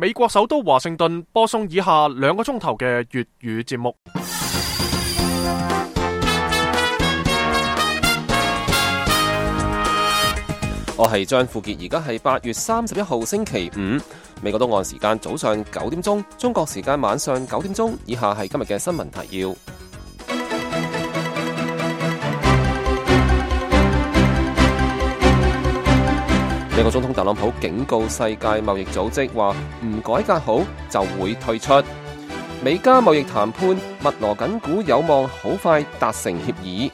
美國首都華盛頓播送以下2個鐘頭嘅粵語節目。我係張富傑，而家係8月31號星期五，美國東岸時間早上9點鐘，中國時間晚上9點鐘。以下係今日嘅新聞提要。美國總統特朗普警告世界貿易組織話唔改革好就會退出。美加貿易談判密鑼緊鼓，有望好快達成協議。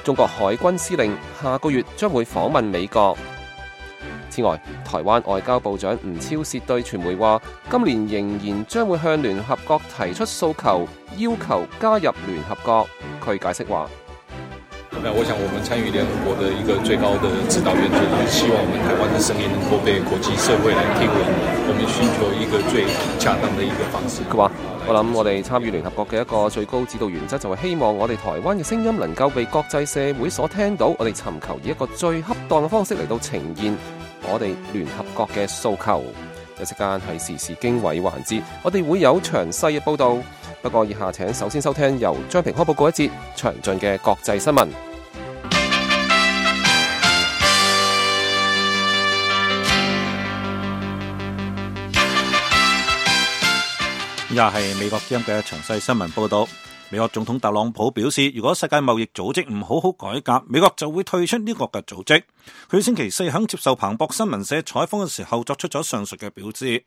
中國海軍司令下個月將會訪問美國。此外，台灣外交部長吳釗燮對傳媒話，今年仍然將會向聯合國提出訴求，要求加入聯合國。佢解釋話，我想我們參與聯合國的一個最高的指導原則，就是希望我們台灣的聲音能夠被國際社會來聽聞，我們尋求一個最恰當的一個方式。佢話，我諗我哋參與聯合國嘅一個最高指導原則就係希望我哋台灣嘅聲音能夠被國際社會所聽到，我哋尋求以一個最恰當嘅方式嚟到呈現我哋聯合國嘅訴求。一時間係時事經緯環節，我哋會有詳細嘅報道。不過以下請首先收聽由張平開報告一節詳盡嘅國際新聞。以下係美國之音嘅詳細新聞報道。美國總統特朗普表示，如果世界貿易組織唔好好改革，美國就會退出呢個嘅組織。佢星期四喺接受彭博新聞社採訪嘅時候作出咗上述嘅表示。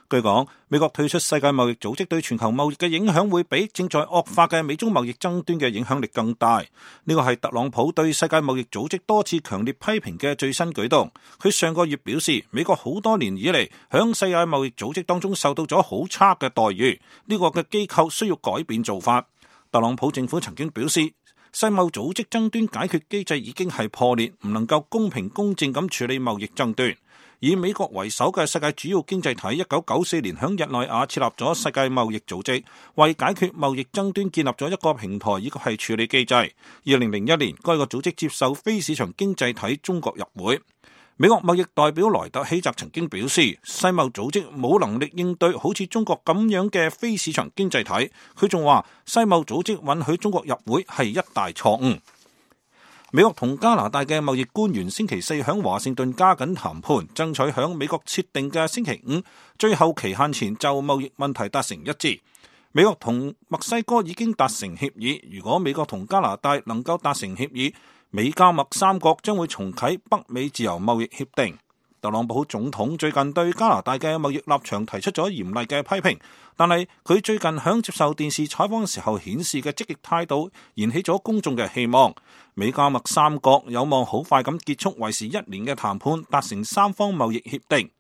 據講，美國退出世界貿易組織對全球貿易嘅影響會比正在惡化嘅美中貿易爭端嘅影響力更大。呢個係特朗普對世界貿易組織多次強烈批評嘅最新舉動。佢上個月表示，美國好多年以嚟響世界貿易組織當中受到咗好差嘅待遇，呢個嘅機構需要改變做法。特朗普政府曾經表示，世貿組織爭端解決機制已經係破裂，唔能夠公平公正咁處理貿易爭端。以美國為首嘅世界主要經濟體1994年響日內瓦設立咗世界貿易組織，為解決貿易爭端建立咗一個平台以及係處理機制。2001年，該個組織接受非市場經濟體中國入會。美國貿易代表萊特希澤曾經表示，世貿組織冇能力應對好似中國咁樣嘅非市場經濟體。佢仲話，世貿組織允許中國入會係一大錯誤。美國同加拿大嘅貿易官員星期四響華盛頓加緊談判，爭取響美國設定嘅星期5最後期限前就貿易問題達成一致。美國同墨西哥已經達成協議，如果美國同加拿大能夠達成協議，美加墨三國將會重啟北美自由貿易協定。特朗普總統最近對加拿大嘅貿易立場提出咗嚴厲嘅批評，但係佢最近響接受電視採訪嘅時候顯示嘅積極態度，燃起咗公眾嘅希望。美加墨三國有望好快咁結束為時1年嘅談判，達成三方貿易協定。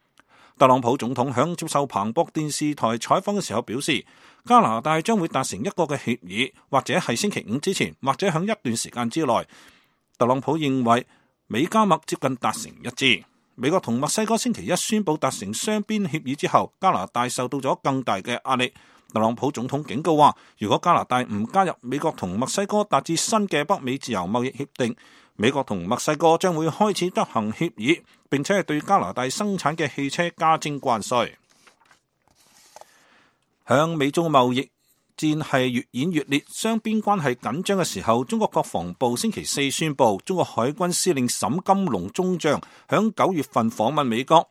特朗普總統響接受彭博電視台採訪嘅時候表示，加拿大將會達成一個嘅協議，或者係星期5之前，或者響一段時間之內。特朗普認為美加墨接近達成一致。美國同墨西哥星期一宣布達成雙邊協議之後，加拿大受到咗更大嘅壓力。特朗普總統警告話，如果加拿大唔加入美國同墨西哥達至新嘅北美自由貿易協定，美國同墨西哥將會開始執行協議，並且係對加拿大生產嘅汽車加徵關稅。向美中貿易戰係越演越烈，雙邊關係緊張嘅時候，中國國防部星期四宣布，中國海軍司令沈金龍中將響9月份訪問美國。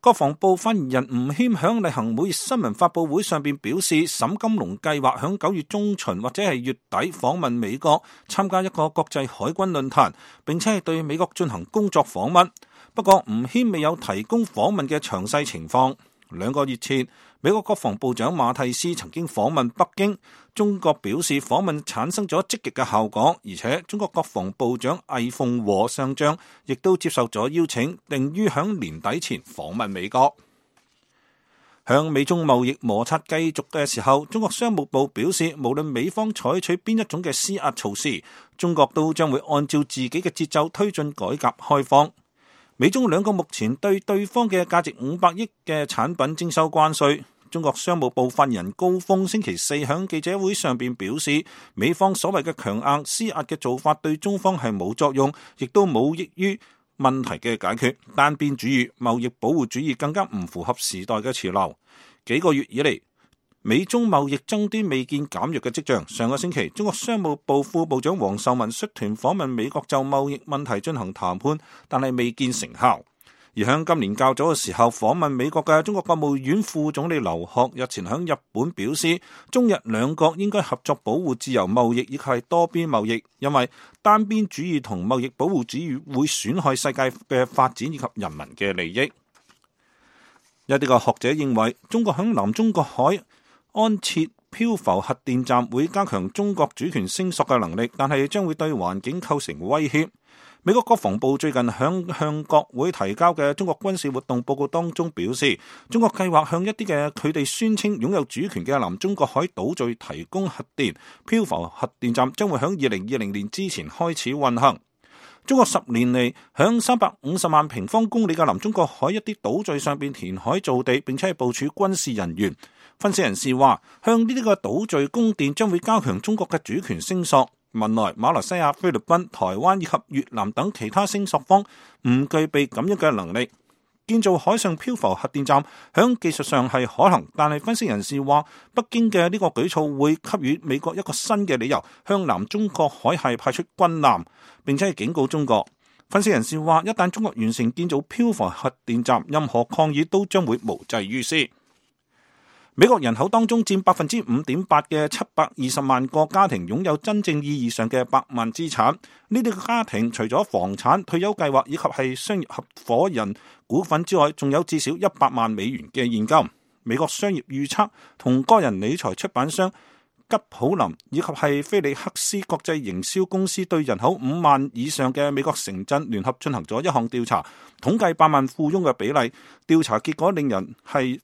國防部發言人吳謙響例行每月新聞發佈會上邊表示，沈金龍計劃響9月中旬或者係月底訪問美國，參加一個國際海軍論壇，並且係對美國進行工作訪問。不過吳謙未有提供訪問嘅詳細情況。2個月前，美國國防部長馬蒂斯曾經訪問北京，中國表示訪問產生咗積極嘅效果，而且中國國防部長魏鳳和上將亦都接受咗邀請，定於響年底前訪問美國。向美中貿易摩擦繼續嘅時候，中國商務部表示，無論美方採取邊一種嘅施壓措施，中國都將會按照自己嘅節奏推進改革開放。美中兩國目前對對方嘅價值500億嘅產品徵收關稅。中國商務部發言人高峰星期四喺記者會上邊表示，美方所謂嘅強硬施壓嘅做法對中方係冇作用，亦都冇益於問題嘅解決，單邊主義、貿易保護主義更加唔符合時代嘅潮流。幾個月以嚟，美中貿易爭端未見減弱嘅跡象。上個星期，中國商務部副部長王受文率團訪問美國就貿易問題進行談判，但係未見成效。而喺今年較早嘅時候訪問美國嘅中國國務院副總理劉鶴日前喺日本表示，中日兩國應該合作保護自由貿易以及係多邊貿易，因為單邊主義同貿易保護主義會損害世界嘅發展以及人民嘅利益。一啲嘅學者認為，中國喺南中國海安設漂浮核電站會加強中國主權聲索嘅能力，但係將會對環境構成威脅。美國國防部最近向國會提交嘅中國軍事活動報告當中表示，中國計劃向一啲嘅佢哋宣稱擁有主權嘅南中國海島嶼提供核電，漂浮核電站將會喺2020年之前開始運行。中國10年嚟響350萬平方公里嘅南中國海一啲島嶼上邊填海造地，並且係部署軍事人員。分析人士話，向呢啲個島嶼供電將會加強中國嘅主權聲索。文萊、馬來西亞、菲律賓、台灣以及越南等其他聲索方唔具備咁樣嘅能力。建造海上漂浮核電站響技術上係可能，但係分析人士話，北京嘅呢個舉措會給予美國一個新嘅理由，向南中國海係派出軍艦，並且係警告中國。分析人士話，一旦中國完成建造漂浮核電站，任何抗議都將會無濟於事。美國人口當中佔 5.8% 嘅720萬個家庭擁有真正意義上嘅百萬資產。呢啲嘅家庭除咗房產、退休計劃以及係商業合夥人股份之外，仲有至少100萬美元嘅現金。美國商業預測同個人理財出版商吉普林以及係菲利克斯國際營銷公司對人口5萬以上嘅美國城鎮聯合進行咗一項調查，統計百萬富翁嘅比例。調查結果令人係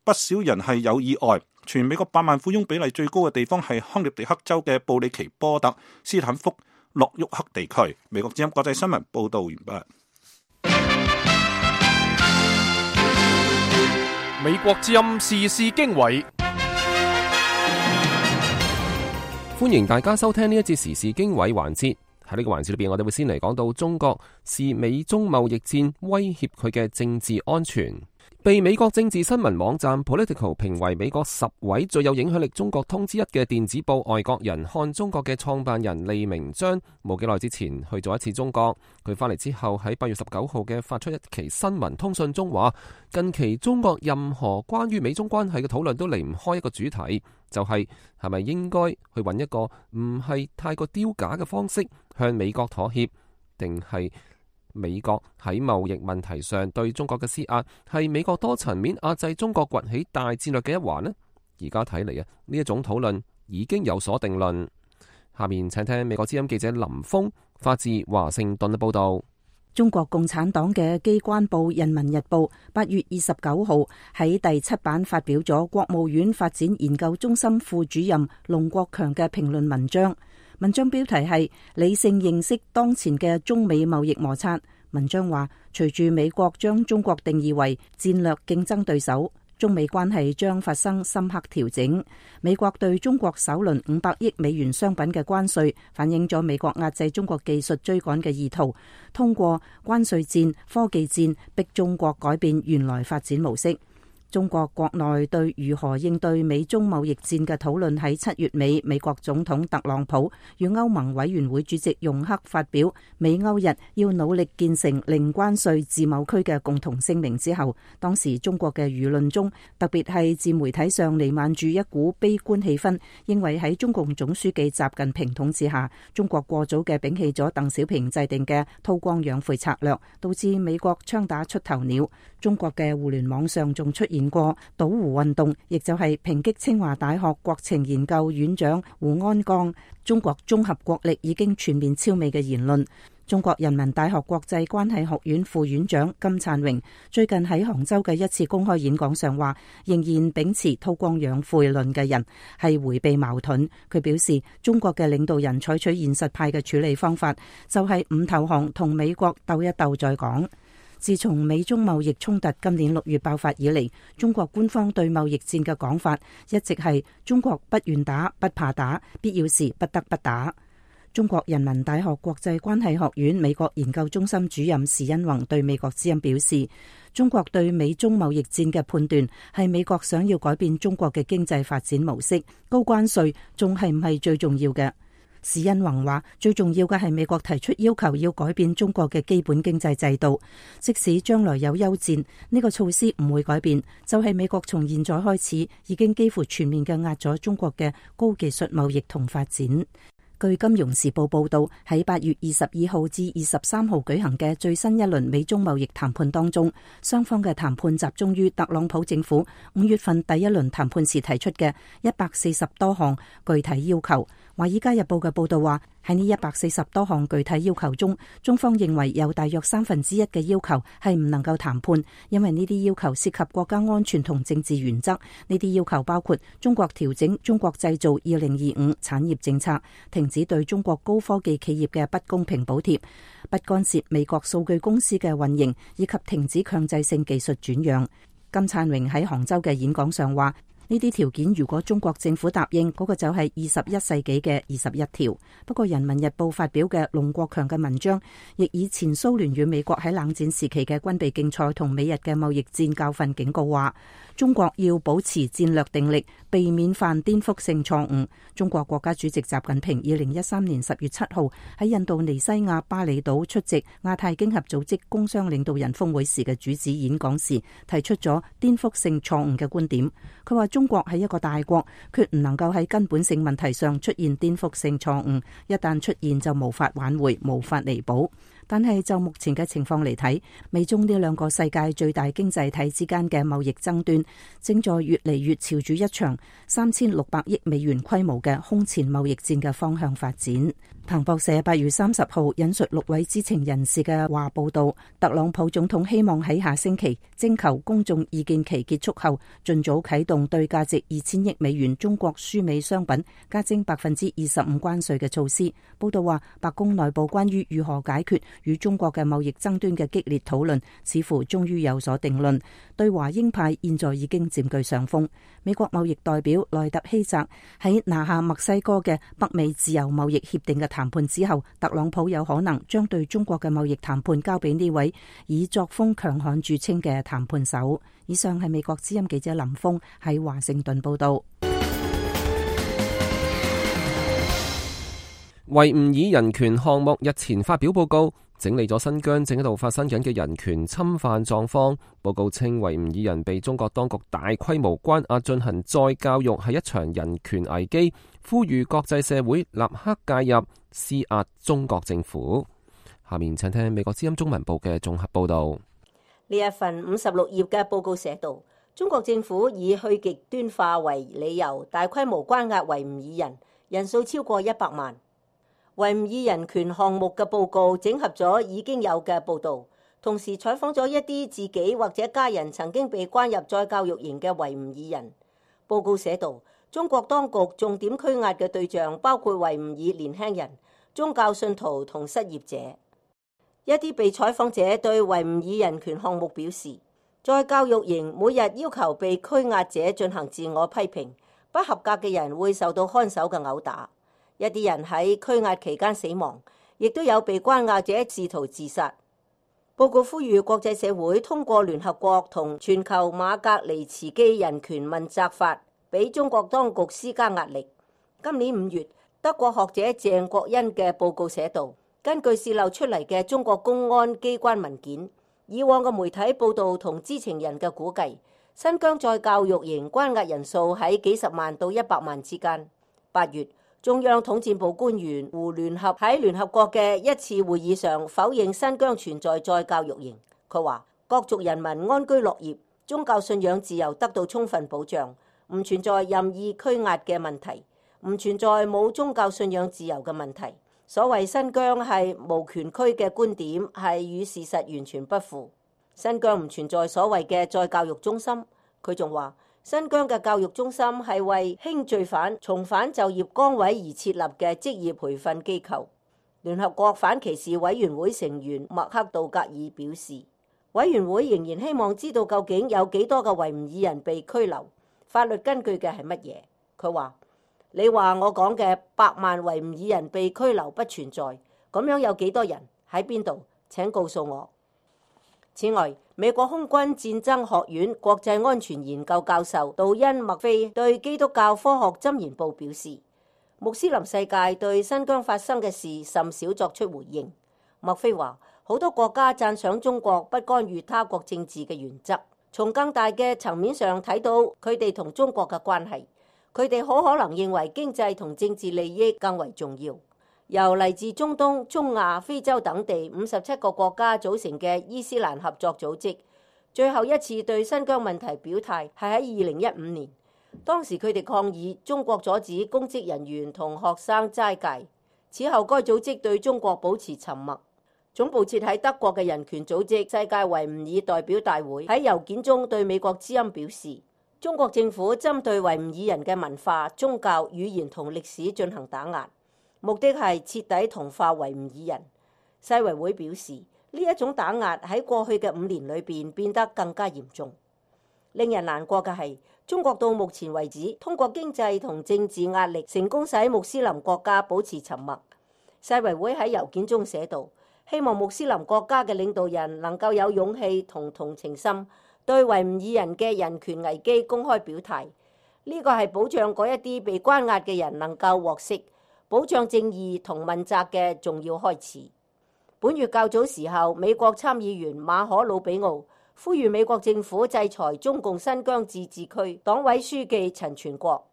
不少人係有意外。全美國百萬富翁比例最高嘅地方係康涅狄克州嘅布里奇波特斯坦福諾沃克地區。美國之音國際新聞報道完畢。美國之音時事經緯，歡迎大家收聽呢一節時事經緯環節。喺呢個環節裏邊，我哋會先嚟講到中國視美中貿易戰威脅佢嘅政治安全。被美國政治新聞網站 Political 評為美國10位最有影響力中國通之一嘅電子報《外國人看中國》嘅創辦人利明章，冇幾耐之前去咗一次中國。佢翻嚟之後喺8月19號嘅發出一期新聞通訊中話，近期中國任何關於美中關係嘅討論都離唔開一個主題，就係咪應該去揾一個唔係太過丟架嘅方式向美國妥協，定係美國喺貿易問題上對中國嘅施壓係美國多層面壓制中國崛起大戰略嘅一環呢？而家睇嚟呢一種討論已經有所定論。下面請聽美國之音記者林峰發自華盛頓嘅報道。中國共產黨嘅機關報《人民日報》8月29號喺第7版發表咗國務院發展研究中心副主任龍國強嘅評論文章。文章標題係理性認識當前嘅中美貿易摩擦。文章話，隨住美國將中國定義為戰略競爭對手，中美關係將發生深刻調整。美國對中國首輪500億美元商品嘅關稅，反映咗美國壓制中國技術追趕嘅意圖，通過關稅戰、科技戰逼中國改變原來發展模式。中國國內對如何應對美中貿易戰嘅討論喺7月尾，美國總統特朗普與歐盟委員會主席容克發表美歐日要努力建成零關稅自貿區嘅共同聲明之後，當時中國嘅輿論中，特別係自媒體上彌漫住一股悲觀氣氛，認為喺中共總書記習近平統治下，中國過早嘅摒棄咗鄧小平制定嘅韜光養晦策略，導致美國槍打出頭鳥。中國嘅互聯網上仲出現過倒胡運動，亦就係抨擊清華大學國情研究院長胡安江中國綜合國力已經全面超美嘅言論。中國人民大學國際關係學院副院長金燦榮最近喺杭州嘅一次公開演講上話，仍然秉持韜光養晦論嘅人係迴避矛盾。佢表示，中國嘅領導人採取現實派嘅處理方法，就係唔投降，同美國鬥一鬥再講。自從美中貿易衝突今年6月爆發以嚟，中國官方對貿易戰嘅講法一直係中國不願打、不怕打，必要時不得不打。中國人民大學國際關係學院美國研究中心主任時殷弘對美國之音表示，中國對美中貿易戰嘅判斷係美國想要改變中國嘅經濟發展模式，高關稅仲係唔係最重要嘅？時殷弘話，最重要嘅係美國提出要求要改變中國嘅基本經濟制度，即使將來有休戰，呢個措施唔會改變，就係美國從現在開始已經幾乎全面嘅壓咗中國嘅高技術貿易同發展。據《金融時報》報道，喺8月22號至23號舉行嘅最新一輪美中貿易談判當中，雙方嘅談判集中於特朗普政府5月份第一輪談判時提出嘅140多項具體要求。《華爾街日報》嘅報道話，喺呢140多項具體要求中，中方認為有大約1/3嘅要求係唔能夠談判，因為呢啲要求涉及國家安全同政治原則。呢啲要求包括中國調整中國製造2025產業政策，停止對中國高科技企業嘅不公平補貼，不干涉美國數據公司嘅運營，以及停止強制性技術轉讓。金燦榮喺杭州嘅演講上話，呢啲條件如果中國政府答應，嗰個就係21世紀嘅21條。不過《人民日報》發表嘅龍國強嘅文章，亦以前蘇聯與美國喺冷戰時期嘅軍備競賽同美日嘅貿易戰教訓警告話，中國要保持戰略定力，避免犯顛覆性錯誤。中國國家主席習近平2013年10月7號喺印度尼西亞巴厘島出席亞太經合組織工商領導人峰會時嘅主旨演講時，提出咗顛覆性錯誤嘅觀點。佢話中國係一個大國，決唔能夠喺根本性問題上出現顛覆性錯誤，一旦出現就無法挽回，無法彌補。但係就目前嘅情況嚟睇，美中呢兩個世界最大經濟體之間嘅貿易爭端，正在越嚟越朝住一場3600億美元規模嘅空前貿易戰嘅方向發展。彭博社8月30號引述6位知情人士嘅話報道，特朗普總統希望喺下星期徵求公眾意見期結束後，盡早啟動對價值2000億美元中國輸美商品加徵25%關稅嘅措施。報道話，白宮內部關於如何解決與中國嘅貿易爭端嘅激烈討論，似乎終於有所定論。對華鷹派現在已經佔據上風。美國貿易代表萊特希澤喺拿下墨西哥嘅北美自由貿易協定嘅談判之後，特朗普有可能將對中國嘅貿易談判交俾呢位以作風強悍著稱嘅談判手。以上係美國之音記者林峰喺華盛頓報道。維吾爾人權項目日前發表報告，整理咗新疆正喺度發生緊嘅人權侵犯狀況。報告稱維吾爾人被中國當局大規模關押進行再教育係一場人權危機，呼籲國際社會立刻介入施壓中國政府。下面請聽美國之音中文部嘅綜合報道。呢一份56頁嘅報告寫道，中國政府以去極端化為理由，大規模關押維吾爾人，人數超過100萬。維吾爾人權項目嘅報告整合咗已經有嘅報導，同時採訪咗一啲自己或者家人曾經被關入再教育營嘅維吾爾人。報告寫道，中國當局重點拘押嘅對象包括維吾爾年輕人、宗教信徒同失業者。一啲被採訪者對維吾爾人權項目表示，再教育營每日要求被拘押者進行自我批評，不合格嘅人會受到看守嘅毆打。一啲人喺拘押期間死亡，亦都有被關押者試圖自殺。報告呼籲國際社會通過聯合國同全球馬格尼茨基人權問責法，俾中國當局施加壓力。今年5月，德國學者鄭國恩嘅報告寫道，根據洩漏出嚟嘅中國公安機關文件，以往嘅媒體報導同知情人嘅估計，新疆再教育營關押人數喺幾十萬到100萬之間。8月，中央統戰部官員胡聯合喺聯合國嘅一次會議上否認新疆存在再教育營。佢話各族人民安居樂業，宗教信仰自由得到充分保障，唔存在任意拘押嘅問題，唔存在冇宗教信仰自由嘅問題。所謂新疆係無權區嘅觀點係與事實完全不符。新疆唔存在所謂嘅再教育中心。佢仲話，新疆嘅教育中心係為輕罪犯重返就業崗位而設立嘅職業培訓機構。聯合國反歧視委員會成員麥克道格爾表示，委員會仍然希望知道究竟有幾多嘅維吾爾人被拘留，法律根據嘅係乜嘢。佢話，你話我講嘅100萬維吾爾人被拘留不存在，咁樣有幾多人喺邊度？請告訴我。此外，美國空軍戰爭學院國際安全研究教授杜恩麥菲對基督教科學箴言報表示，穆斯林世界對新疆發生嘅事甚少作出回應。麥菲話，好多國家讚賞中國不干預他國政治嘅原則，從更大嘅層面上睇到佢哋同中國嘅關係，佢哋好可能認為經濟同政治利益更為重要。由嚟自中東、中亞、非洲等地57個國家組成嘅伊斯蘭合作組織，最後一次對新疆問題表態係喺2015年，當時佢哋抗議中國阻止公職人員同學生齋戒。此後該組織對中國保持沉默。總部設喺德國嘅人權組織世界維吾爾代表大會喺郵件中對美國之音表示，中國政府針對維吾爾人嘅文化、宗教、語言同歷史進行打壓，目的係徹底同化維吾爾人。世維會表示，呢一種打壓喺過去嘅5年裏邊變得更加嚴重。令人難過嘅係，中國到目前為止通過經濟同政治壓力成功使穆斯林國家保持沉默。世維會喺郵件中寫道，希望穆斯林國家嘅領導人能夠有勇氣同同情心，對維吾爾人嘅人權危機公開表態。呢個係保障嗰一啲被關押嘅人能夠獲釋，保障正義同問責嘅重要開始。本月較早時候，美國參議員馬可魯比奧呼籲美國政府制裁中共新疆自治區黨委書記陳全國。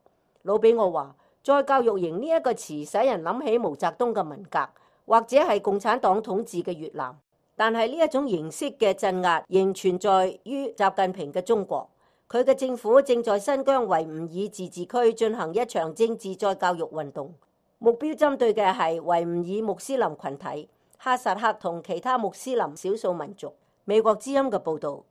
魯比奧話，再教育營呢一個詞使人諗起毛澤東嘅文革，或者係共產黨統治嘅越南。但係呢一種形式嘅鎮壓仍存在於習近平嘅中國。佢嘅政府正在新疆維吾爾自治區進行一場政治再教育運動，目標針對嘅係維吾爾穆斯林群體、哈薩克同其他穆斯林少數民族。美國之音嘅報導。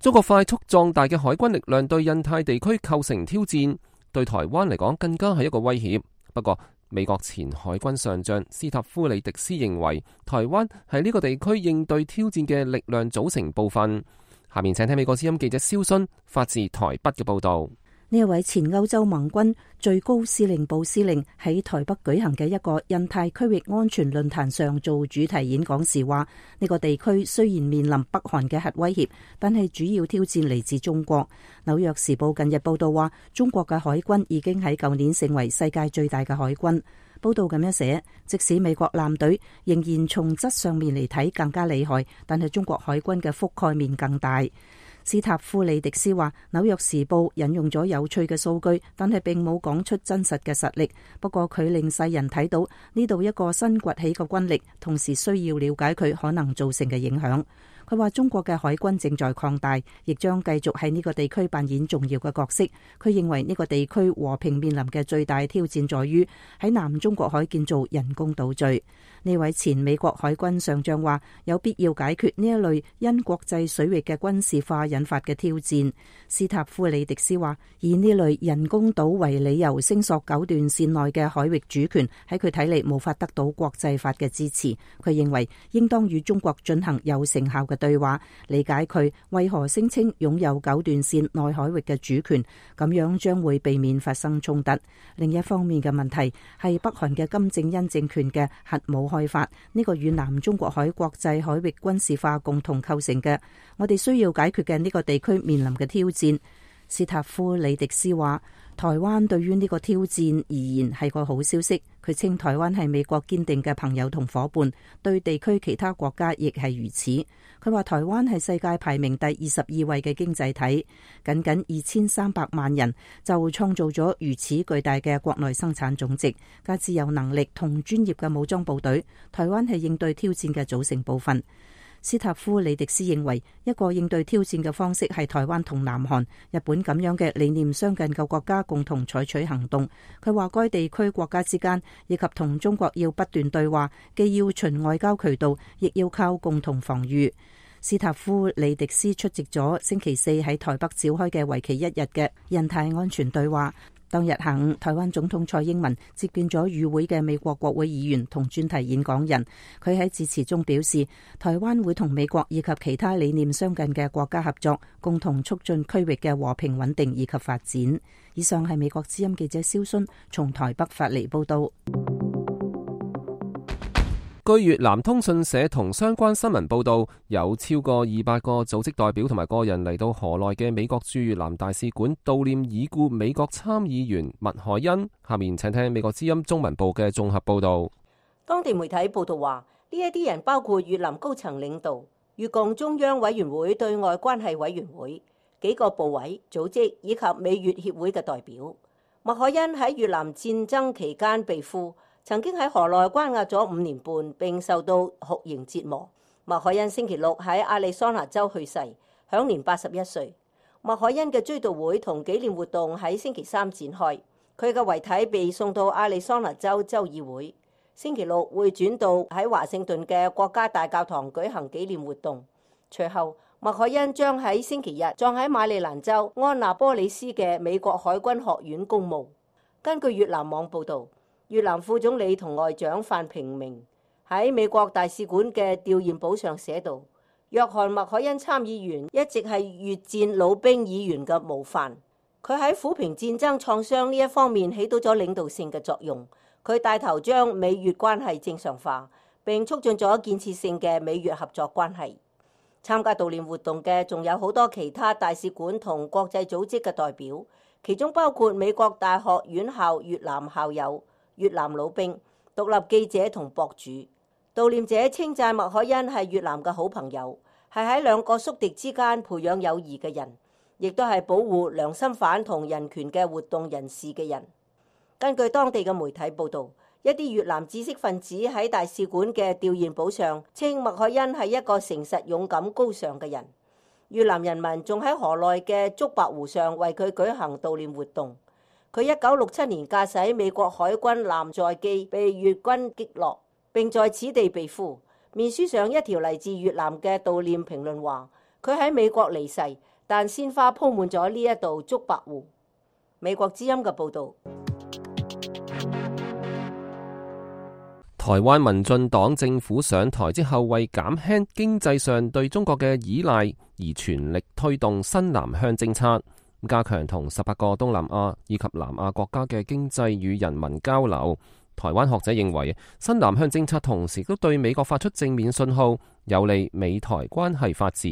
中國快速壯大嘅海軍力量對印太地區構成挑戰，對台灣嚟講更加係一個威脅。不過，美國前海軍上將斯塔夫里迪斯認為，台灣係呢個地區應對挑戰嘅力量組成部分。下面請聽美國之音記者蕭勳發自台北嘅報導。呢一位前歐洲盟軍最高司令部司令喺台北舉行嘅一個印太區域安全論壇上做主題演講時話，呢個地區雖然面臨北韓嘅核威脅，但係主要挑戰嚟自中國。紐約時報近日報道話，中國嘅海軍已經喺舊年成為世界最大嘅海軍。報道咁樣寫，即使美國艦隊仍然從質上面嚟睇更加厲害，但係中國海軍嘅覆蓋面更大。斯塔夫里迪斯話，紐約時報引用咗有趣嘅數據，但係並冇講出真實嘅實力。不過佢令世人睇到呢度一個新崛起嘅軍力，同時需要了解佢可能造成嘅影響。佢話中國嘅海軍正在擴大，亦將繼續喺呢個地區扮演重要嘅角色。佢認為呢個地區和平面臨嘅最大挑戰在於喺南中國海建造人工島嶼。呢位前美國海軍上將話，有必要解決呢一類因國際水域嘅軍事化引發嘅挑戰。斯塔夫里迪斯話，以呢類人工島為理由聲索九段線內嘅海域主權，喺佢睇嚟無法得到國際法嘅支持。佢認為應當與中國進行有成效嘅對話，理解佢為何聲稱擁有九段線內海域嘅主權，咁樣將會避免發生衝突。另一方面嘅問題係北韓嘅金正恩政權嘅核武開發，呢個與南中國海國際海域軍事化共同構成嘅，我哋需要解決嘅呢個地區面臨嘅挑戰。斯塔夫里迪斯話，台灣對於呢個挑戰而言係個好消息。佢稱台灣係美國堅定嘅朋友同夥伴，對地區其他國家亦係如此。佢話台灣係世界排名第22位嘅經濟體，僅僅2300萬人就創造咗如此巨大嘅國內生產總值，加之有能力同專業嘅武裝部隊，台灣係應對挑戰嘅組成部分。斯塔夫里迪斯認為，一個應對挑戰嘅方式係台灣同南韓、日本咁樣嘅理念相近嘅國家共同採取行動。佢話該地區國家之間以及同中國要不斷對話，既要循外交渠道，亦要靠共同防禦。斯塔夫里迪斯出席咗星期四喺台北召開嘅為期1日嘅印太安全對話。當日下午，台灣總統蔡英文接見咗與會嘅美國國會議員同專題演講人。佢喺致辭中表示，台灣會同美國以及其他理念相近嘅國家合作，共同促進區域嘅和平穩定以及發展。以上係美國之音記者蕭순從台北發嚟報道。據越南通訊社同相關新聞報道，有超過200個組織代表同埋個人嚟到河內嘅美國駐越南大使館悼念已故美國參議員麥凱恩。下面請聽美國之音中文部嘅綜合報道。當地媒體報道話，呢一啲人包括越南高層領導、越共中央委員會對外關係委員會、幾個部委、組織以及美越協會嘅代表。麥凱恩喺越南戰爭期間被俘，曾經喺河內關押咗5年半，並受到酷刑折磨。麥凱恩星期六喺亞利桑那州去世，享年81歲。麥凱恩嘅追悼會同紀念活動喺星期三展開，佢嘅遺體被送到亞利桑那州州議會，星期六會轉到喺華盛頓嘅國家大教堂舉行紀念活動。隨後，麥凱恩將喺星期日葬喺馬里蘭州安納波里斯嘅美國海軍學院公墓。根據越南網報導，越南副總理同外長范平明喺美國大使館嘅弔唁簿上寫道：約翰麥凱恩參議員一直係越戰老兵議員嘅模範，佢喺撫平戰爭創傷呢一方面起到咗領導性嘅作用。佢帶頭將美越關係正常化，並促進咗建設性嘅美越合作關係。參加悼念活動嘅仲有好多其他大使館同國際組織嘅代表，其中包括美國大學院校越南校友、越南老兵、獨立記者同博主。悼念者稱讚麥凱恩係越南嘅好朋友，係喺兩個宿敵之間培養友誼嘅人，亦都係保護良心犯同人權嘅活動人士嘅人。根據當地嘅媒體報導，一啲越南知識分子喺大使館嘅弔唁簿上稱麥凱恩係一個誠實、勇敢、高尚嘅人。越南人民仲喺河內嘅竹白湖上為佢舉行悼念活動。佢1967年駕駛美國海軍艦載機被越軍擊落，並在此地被俘。面書上一條嚟自越南嘅悼念評論話：佢喺美國離世，但鮮花鋪滿咗呢一道竹白湖。美國之音嘅報導。台灣民進黨政府上台之後，為減輕經濟上對中國嘅依賴，而全力推動新南向政策，加強同18個東南亞以及南亞國家嘅經濟與人民交流。台灣學者認為，新南向政策同時都對美國發出正面信號，有利美台關係發展。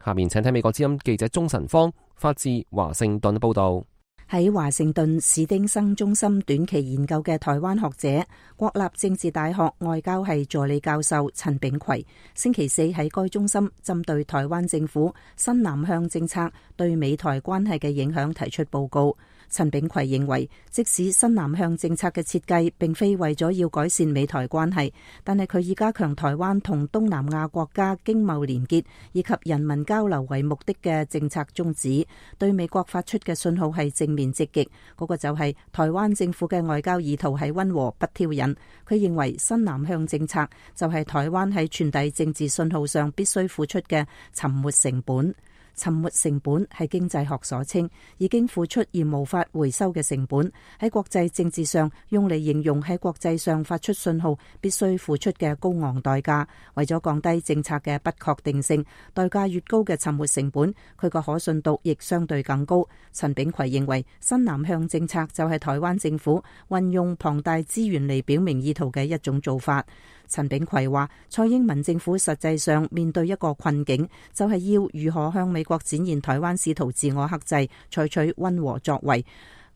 下面請睇美國之音記者鍾晨芳發自華盛頓報道。喺華盛頓史丁生中心短期研究嘅台灣學者、國立政治大學外交系助理教授陳炳奎，星期四喺該中心針對台灣政府新南向政策對美台關係嘅影響提出報告。陳炳奎認為，即使新南向政策嘅設計並非為咗要改善美台關係，但係佢以加強台灣同東南亞國家經貿連結以及人民交流為目的嘅政策宗旨，對美國發出嘅信號係正面積極。嗰個就係台灣政府嘅外交意圖係溫和不挑釁。佢認為新南向政策就係台灣喺傳遞政治信號上必須付出嘅沉沒成本。沉沒成本係經濟學所稱，已經付出而無法回收嘅成本，喺國際政治上用嚟形容喺國際上發出信號必須付出嘅高昂代價。為咗降低政策嘅不確定性，代價越高嘅沉沒成本，佢個可信度亦相對更高。陳炳奎認為，新南向政策就係台灣政府運用龐大資源嚟表明意圖嘅一種做法。陳炳奎話，蔡英文政府實際上面對一個困境，就係要如何向美國展現台灣試圖自我克制，採取溫和作為。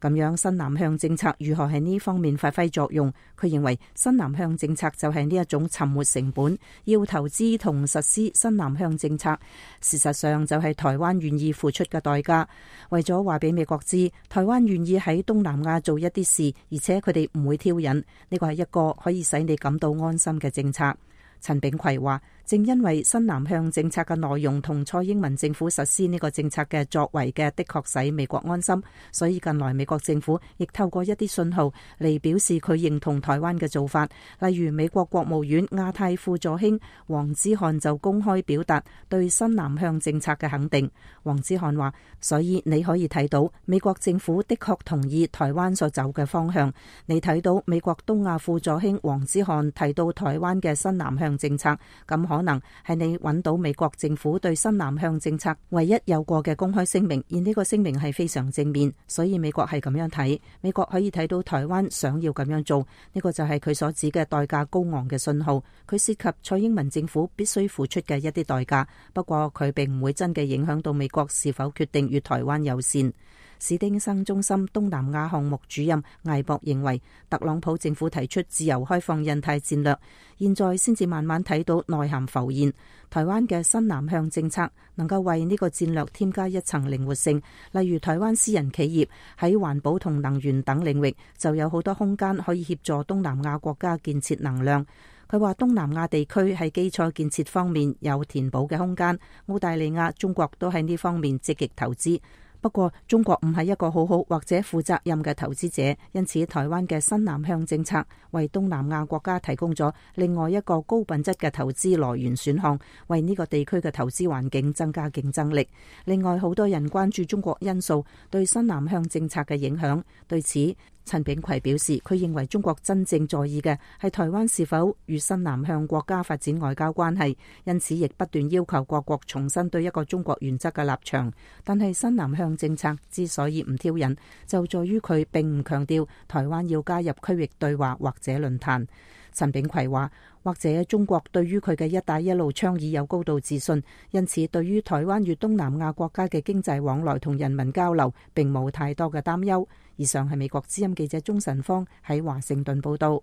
咁樣新南向政策如何喺呢方面發揮作用？佢認為新南向政策就係呢一種沉沒成本，要投資同實施新南向政策，事實上就係台灣願意付出嘅代價。為咗話俾美國知，台灣願意喺東南亞做一啲事，而且佢哋唔會挑釁，呢個係一個可以使你感到安心嘅政策。陳炳奎話，正因為新南向政策嘅內容同蔡英文政府實施呢個政策嘅作為的確使美國安心，所以近來美國政府亦透過一啲信號嚟表示佢認同台灣嘅做法。例如美國國務院亞太副助卿黃之漢就公開表達對新南向政策嘅肯定。黃之漢話：所以你可以睇到美國政府的確同意台灣所走嘅方向。你睇到美國東亞副助卿黃之漢提到台灣嘅新南向政策，咁可能係你揾到美國政府對新南向政策唯一有過嘅公開聲明，而呢個聲明係非常正面，所以美國係咁樣睇。美國可以睇到台灣想要咁樣做，呢個就係佢所指嘅代價高昂嘅信號。佢涉及蔡英文政府必須付出嘅一啲代價，不過佢並唔會真嘅影響到美國是否決定與台灣友善。史丁生中心東南亞項目主任艾博認為，特朗普政府提出自由開放印太戰略，現在先至慢慢睇到內涵浮現。台灣嘅新南向政策能夠為呢個戰略添加一層靈活性，例如台灣私人企業喺環保同能源等領域就有好多空間可以協助東南亞國家建設能量。佢話東南亞地區喺基礎建設方面有填補嘅空間，澳大利亞、中國都喺呢方面積極投資。不過中國唔係一個好好或者負責任嘅投資者，因此台灣嘅新南向政策為東南亞國家提供咗另外一個高品質嘅投資來源選項，為呢個地區嘅投資環境增加競爭力。另外，好多人關注中國因素對新南向政策嘅影響，對此陳炳葵表示，佢認為中國真正在意嘅係台灣是否與新南向國家發展外交關係，因此亦不斷要求各國重新對一個中國原則嘅立場。但係新南向政策之所以唔挑釁，就在於佢並唔強調台灣要加入區域對話或者論壇。陳炳葵話，或者中國對於佢嘅一帶一路倡議有高度自信，因此對於台灣與東南亞國家嘅經濟往來同人民交流並冇太多嘅擔憂。以上係美國之音記者鍾晨芳喺華盛頓報道。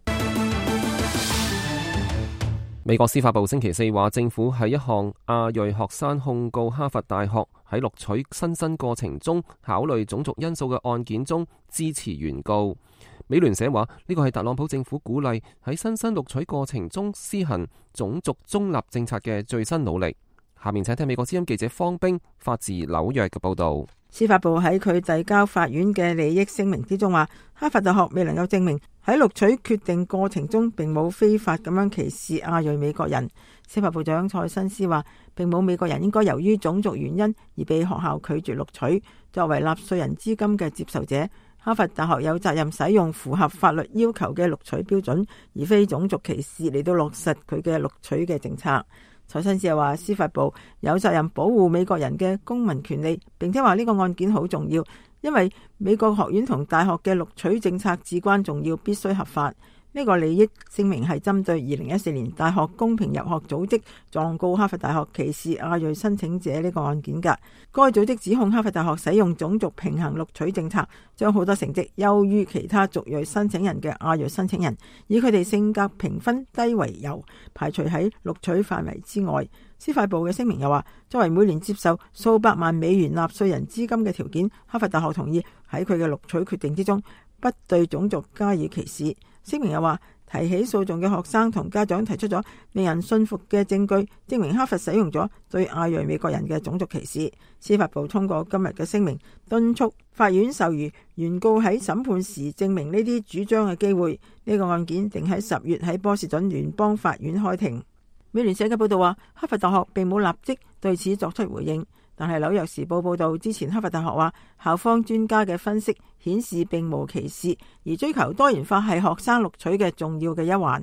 美國司法部星期四話，政府喺一項亞裔學生控告哈佛大學喺錄取新生過程中考慮種族因素嘅案件中支持原告。美聯社話，呢個係特朗普政府鼓勵喺新生錄取過程中施行種族中立政策嘅最新努力。下面請聽美國之音記者方冰發自紐約嘅報道。司法部喺佢遞交法院嘅利益聲明之中話，哈佛大學未能夠證明喺錄取決定過程中並冇非法咁樣歧視亞裔美國人。司法部長蔡新斯話，並冇美國人應該由於種族原因而被學校拒絕錄取。作為納稅人資金嘅接受者，哈佛大學有責任使用符合法律要求嘅錄取標準，而非種族歧視嚟到落實佢嘅錄取嘅政策。蔡新斯又話，司法部有責任保護美國人嘅公民權利，並且話呢個案件好重要，因為美國學院同大學嘅錄取政策至關重要，必須合法。呢個利益聲明係針對2014年大學公平入學組織狀告哈佛大學歧視亞裔申請者呢個案件㗎。該組織指控哈佛大學使用種族平衡錄取政策，將好多成績優於其他族裔申請人嘅亞裔申請人，以佢哋性格評分低為由，排除喺錄取範圍之外。司法部嘅聲明又話，作為每年接受數百萬美元納稅人資金嘅條件，哈佛大學同意喺佢嘅錄取決定之中不對種族加以歧視。聲明又話，提起訴訟嘅學生同家長提出咗令人信服嘅證據，證明哈佛使用咗對亞裔美國人嘅種族歧視。司法部通過今日嘅聲明，敦促法院授予原告喺審判時證明呢啲主張嘅機會。呢個案件定喺10月喺波士頓聯邦法院開庭。美聯社嘅報道話，哈佛大學並冇立即對此作出回應。但係紐約時報報道，之前哈佛大學話，校方專家嘅分析顯示並無歧視，而追求多元化係學生錄取嘅重要嘅一環。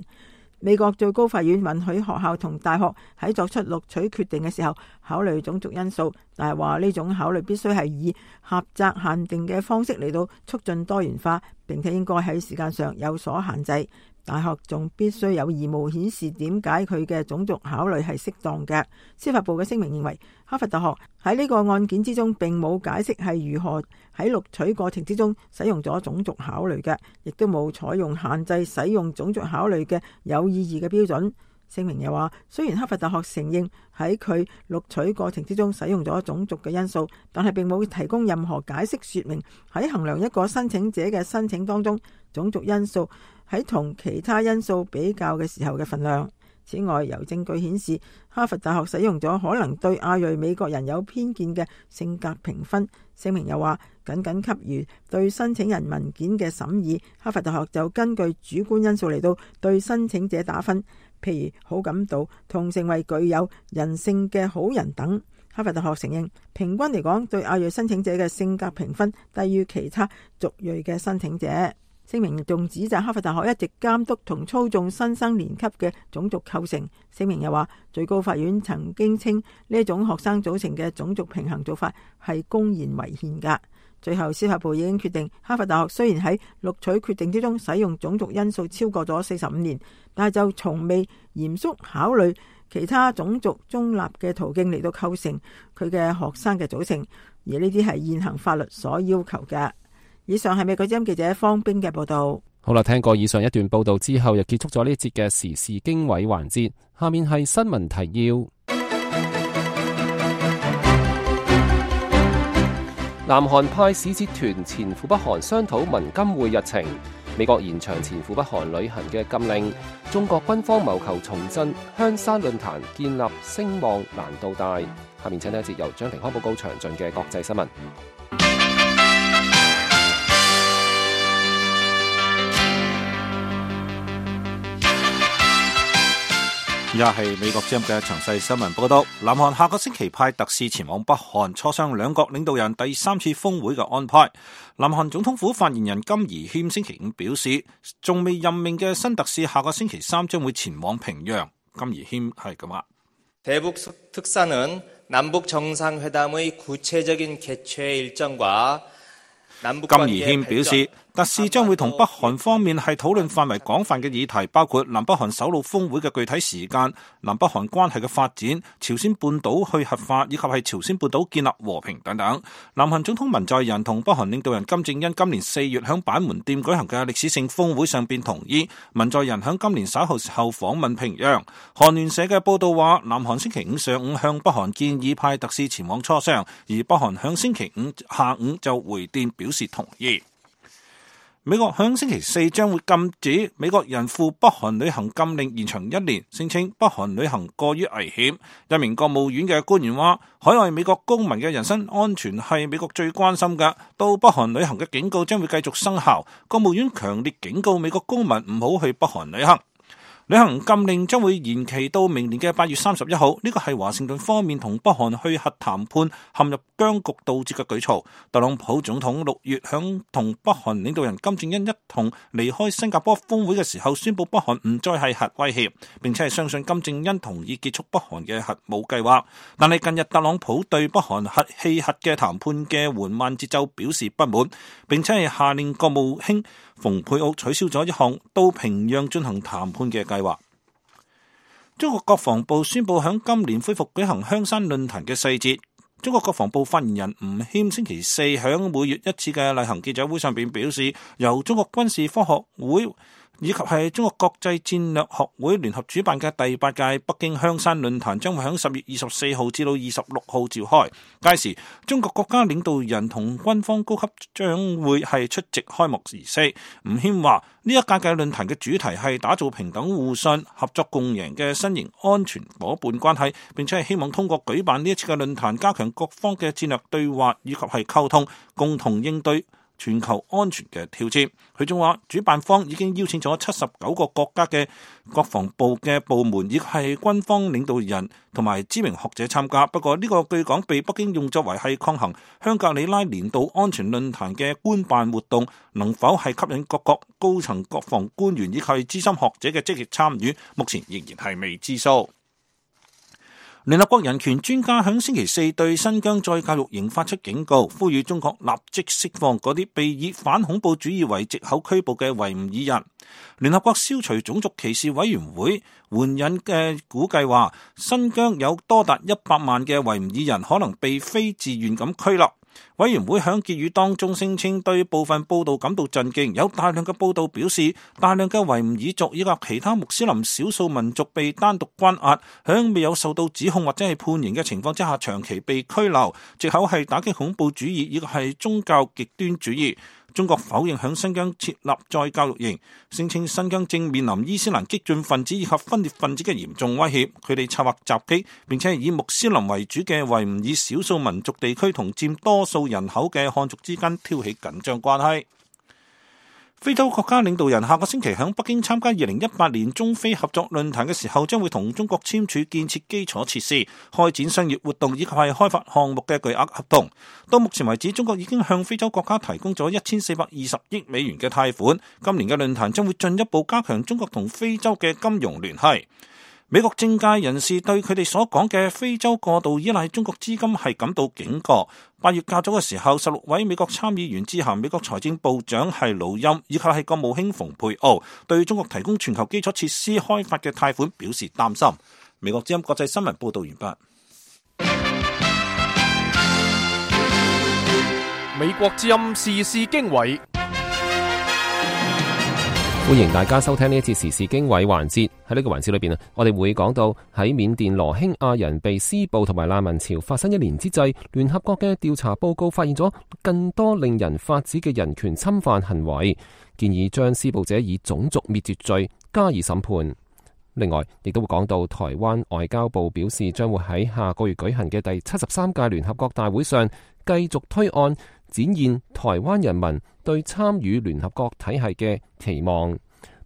美國最高法院允許學校同大學喺作出錄取決定嘅時候考慮種族因素，但係話呢種考慮必須係以狹窄限定嘅方式嚟到促進多元化，並且應該喺時間上有所限制。大學仲必須有義務顯示點解佢嘅種族考慮係適當嘅。司法部嘅聲明認為，哈佛大學喺呢個案件之中並冇解釋係如何喺錄取過程之中使用咗種族考慮嘅，亦都冇採用限制使用種族考慮嘅有意義嘅標準。聲明又話，雖然哈佛大學承認喺佢錄取過程之中使用咗種族嘅因素，但係並冇提供任何解釋說明喺衡量一個申請者嘅申請當中種族因素喺同其他因素比較嘅時候嘅份量。此外，有證據顯示，哈佛大學使用咗可能對亞裔美國人有偏見嘅性格評分。聲明又話，僅給予對申請人文件嘅審議，哈佛大學就根據主觀因素嚟到對申請者打分，譬如好感度同成為具有人性嘅好人等。哈佛大學承認，平均嚟講，對亞裔申請者嘅性格評分低於其他族裔嘅申請者。聲明仲指責哈佛大學一直監督同操縱新生年級嘅種族構成。聲明又話，最高法院曾經稱呢一種學生組成嘅種族平衡做法係公然違憲㗎。最後，司法部已經決定，哈佛大學雖然喺錄取決定之中使用種族因素超過咗45年，但係就從未嚴肅考慮其他種族中立嘅途徑嚟到構成佢嘅學生嘅組成，而呢啲係現行法律所要求嘅。以上係美國之音記者方冰嘅報道。好啦，聽過以上一段報道之後，又結束咗呢一節嘅時事經緯環節。下面係新聞提要。南韓派使節團前赴北韓商討文金會日程。美國延長前赴北韓旅行嘅禁令。中國軍方謀求重振香山論壇，建立聲望難度大。下面請睇一節由張庭康報告詳盡嘅國際新聞。而家係美國之音嘅詳細新聞報道。南韓下個星期派特使前往北韓磋商兩國領導人第3次峰會嘅安排。南韓總統府發言人金宜謙星期五表示，仲未任命嘅新特使下個星期3將會前往平壤。金宜謙係咁話：대북특사는 남북정상회담의 구체적인 개최 일정과金宜謙表示，特使將會同北韓方面係討論範圍廣泛嘅議題，包括南北韓首腦峰會嘅具體時間、南北韓關係嘅發展、朝鮮半島去核化以及係朝鮮半島建立和平等等。南韓總統文在寅同北韓領導人金正恩今年4月響板門店舉行嘅歷史性峰會上便同意，文在寅響今年稍後時候訪問平壤。韓聯社嘅報道話，南韓星期五上午向北韓建議派特使前往磋商，而北韓響星期五下午就回電表示同意。美國響星期4將會禁止美國人赴北韓旅行禁令延長1年，聲稱北韓旅行過於危險。一名國務院嘅官員話，海外美國公民嘅人身安全係美國最關心嘅，到北韓旅行嘅警告將會繼續生效。國務院強烈警告美國公民唔好去北韓旅行。旅行禁令將會延期到明年嘅8月31號，呢個係華盛頓方面同北韓去核談判陷入僵局導致嘅舉措。特朗普總統6月響同北韓領導人金正恩一同離開新加坡峰會嘅時候，宣布北韓唔再係核威脅，並且係相信金正恩同意結束北韓嘅核武計劃。但係近日特朗普對北韓核棄核嘅談判嘅緩慢節奏表示不滿，並且係下令國務卿蓬佩奧取消咗一項到平壤進行談判嘅計劃。中國國防部宣布響今年恢復舉行香山論壇嘅細節。中國國防部發言人吳謙星期4響每月一次嘅例行記者會上邊表示，由中國軍事科學會以及係中國國際戰略學會聯合主辦嘅第8屆北京香山論壇將會喺10月24號至到26號召開。屆時，中國國家領導人同軍方高級將會係出席開幕儀式。吳謙話：呢一屆嘅論壇嘅主題係打造平等互信、合作共贏嘅新型安全夥伴關係，並且係希望通過舉辦呢一次嘅論壇，加強各方嘅戰略對話以及係溝通，共同應對全球安全嘅挑戰。佢仲話，主辦方已經邀請咗79個國家嘅國防部嘅部門，亦係軍方領導人同埋知名學者參加。不過呢個據講被北京用作為係抗衡香格里拉年度安全論壇嘅官辦活動，能否係吸引各國高層國防官員以及資深學者嘅積極參與，目前仍然係未知數。聯合國人權專家響星期4對新疆再教育營發出警告，呼籲中國立即釋放嗰啲被以反恐怖主義為藉口拘捕嘅維吾爾人。聯合國消除種族歧視委員會援引嘅估計話，新疆有多達100萬嘅維吾爾人可能被非自願咁拘留。委員會響結語當中聲稱對部分報道感到震驚，有大量嘅報道表示，大量嘅維吾爾族以及其他穆斯林少數民族被單獨關押，響未有受到指控或者係判刑嘅情況之下長期被拘留，藉口係打擊恐怖主義以及係宗教極端主義。中國否認響新疆設立再教育營，聲稱新疆正面臨伊斯蘭激進分子以及分裂分子嘅嚴重威脅，佢哋策劃襲擊，並且以穆斯林為主嘅維吾爾少數民族地區同佔多數人口嘅漢族之間挑起緊張關係。非洲國家領導人下個星期喺北京參加2018年中非合作論壇嘅時候，將會同中國簽署建設基礎設施、開展商業活動以及係開發項目嘅巨額合同。到目前為止，中國已經向非洲國家提供咗1420億美元嘅貸款。今年嘅論壇將會進一步加強中國同非洲嘅金融聯繫。美國政界人士對佢哋所講嘅非洲過度依賴中國資金係感到警覺。8月較早嘅時候，16位美國參議員致函美國財政部長係魯欽以及係國務卿蓬佩奧，對中國提供全球基礎設施開發嘅貸款表示擔心。美國之音國際新聞報道完畢。美國之音時事經緯。歡迎大家收聽呢一節時事經緯環節。喺呢個環節裏邊我哋會講到喺緬甸羅興亞人被施暴同埋難民潮發生1年之際，聯合國嘅調查報告發現咗更多令人髮指嘅人權侵犯行為，建議將施暴者以種族滅絕罪加以審判。另外，亦都會講到台灣外交部表示，將會喺下個月舉行嘅第73屆聯合國大會上繼續推案，展現台灣人民對參與聯合國體系嘅期望。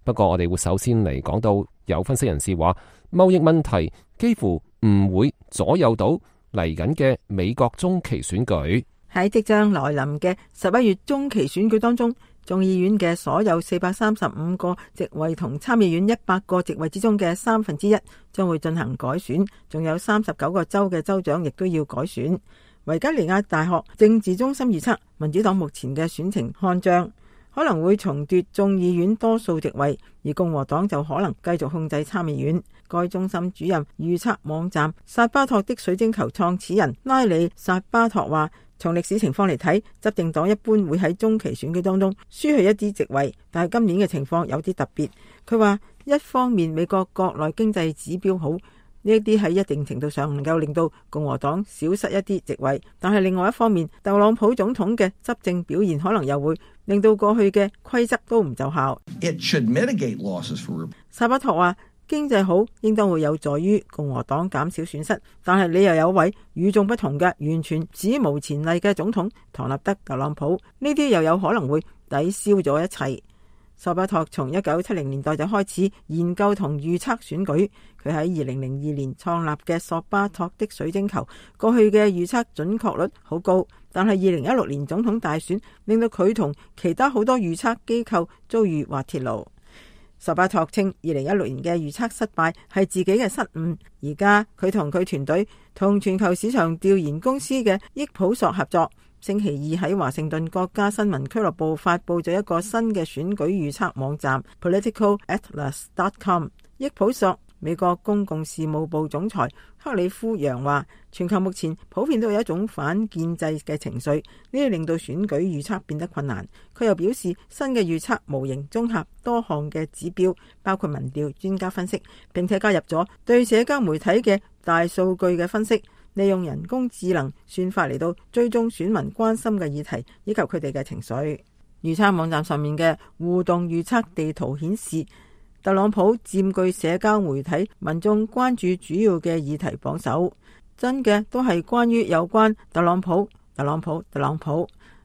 不過我哋會首先嚟講到，有分析人士話，貿易問題幾乎唔會左右到嚟緊嘅美國中期選舉。喺即將來臨嘅11月中期選舉當中，眾議院嘅所有435個席位同參議院100個席位之中嘅1/3將會進行改選，仲有39個州嘅州長亦都要改選。維吉尼亞大學政治中心預測，民主黨目前嘅選情看漲，可能會重奪眾議院多數席位，而共和黨就可能繼續控制參議院。該中心主任預測網站薩巴托的水晶球創始人拉里薩巴托話，從歷史情況嚟睇，執政黨一般會喺中期選舉當中輸去一啲席位，但係今年嘅情況有啲特別。佢話一方面美國國內經濟指標好，呢一啲喺一定程度上能夠令到共和黨少失一啲席位，但係另外一方面，特朗普總統嘅執政表現可能又會令到過去嘅規則都唔奏效。薩巴托話，經濟好應當會有助於共和黨減少損失，但係你又有位與眾不同嘅完全史無前例嘅總統唐納德特朗普，呢啲又有可能會抵消咗一切。薩巴托從1970年代就開始研究同預測選舉，佢喺2002年創立嘅索巴托的水晶球，過去嘅預測準確率好高，但係2016年總統大選令到佢同其他好多預測機構遭遇滑鐵盧。薩巴托稱2016年嘅預測失敗係自己嘅失誤，而家佢同佢團隊同全球市場調研公司嘅益普索合作，星期二喺華盛頓國家新聞俱樂部發佈咗一個新嘅選舉預測網站 politicatlas.com。 益普索美國公共事務部總裁克里夫楊話，全球目前普遍都有一種反建制嘅情緒，呢啲令到選舉預測變得困難。佢又表示，新嘅預測模型綜合多項嘅指標，包括民調、專家分析，並且加入咗對社交媒體嘅大數據嘅分析，利用人工智能算法嚟到追蹤選民關心嘅議題以及佢哋嘅情緒。預測網站上面嘅互動預測地圖顯示，特朗普佔據社交媒體民眾關注主要嘅議題榜首，真嘅都係關於有關特朗普。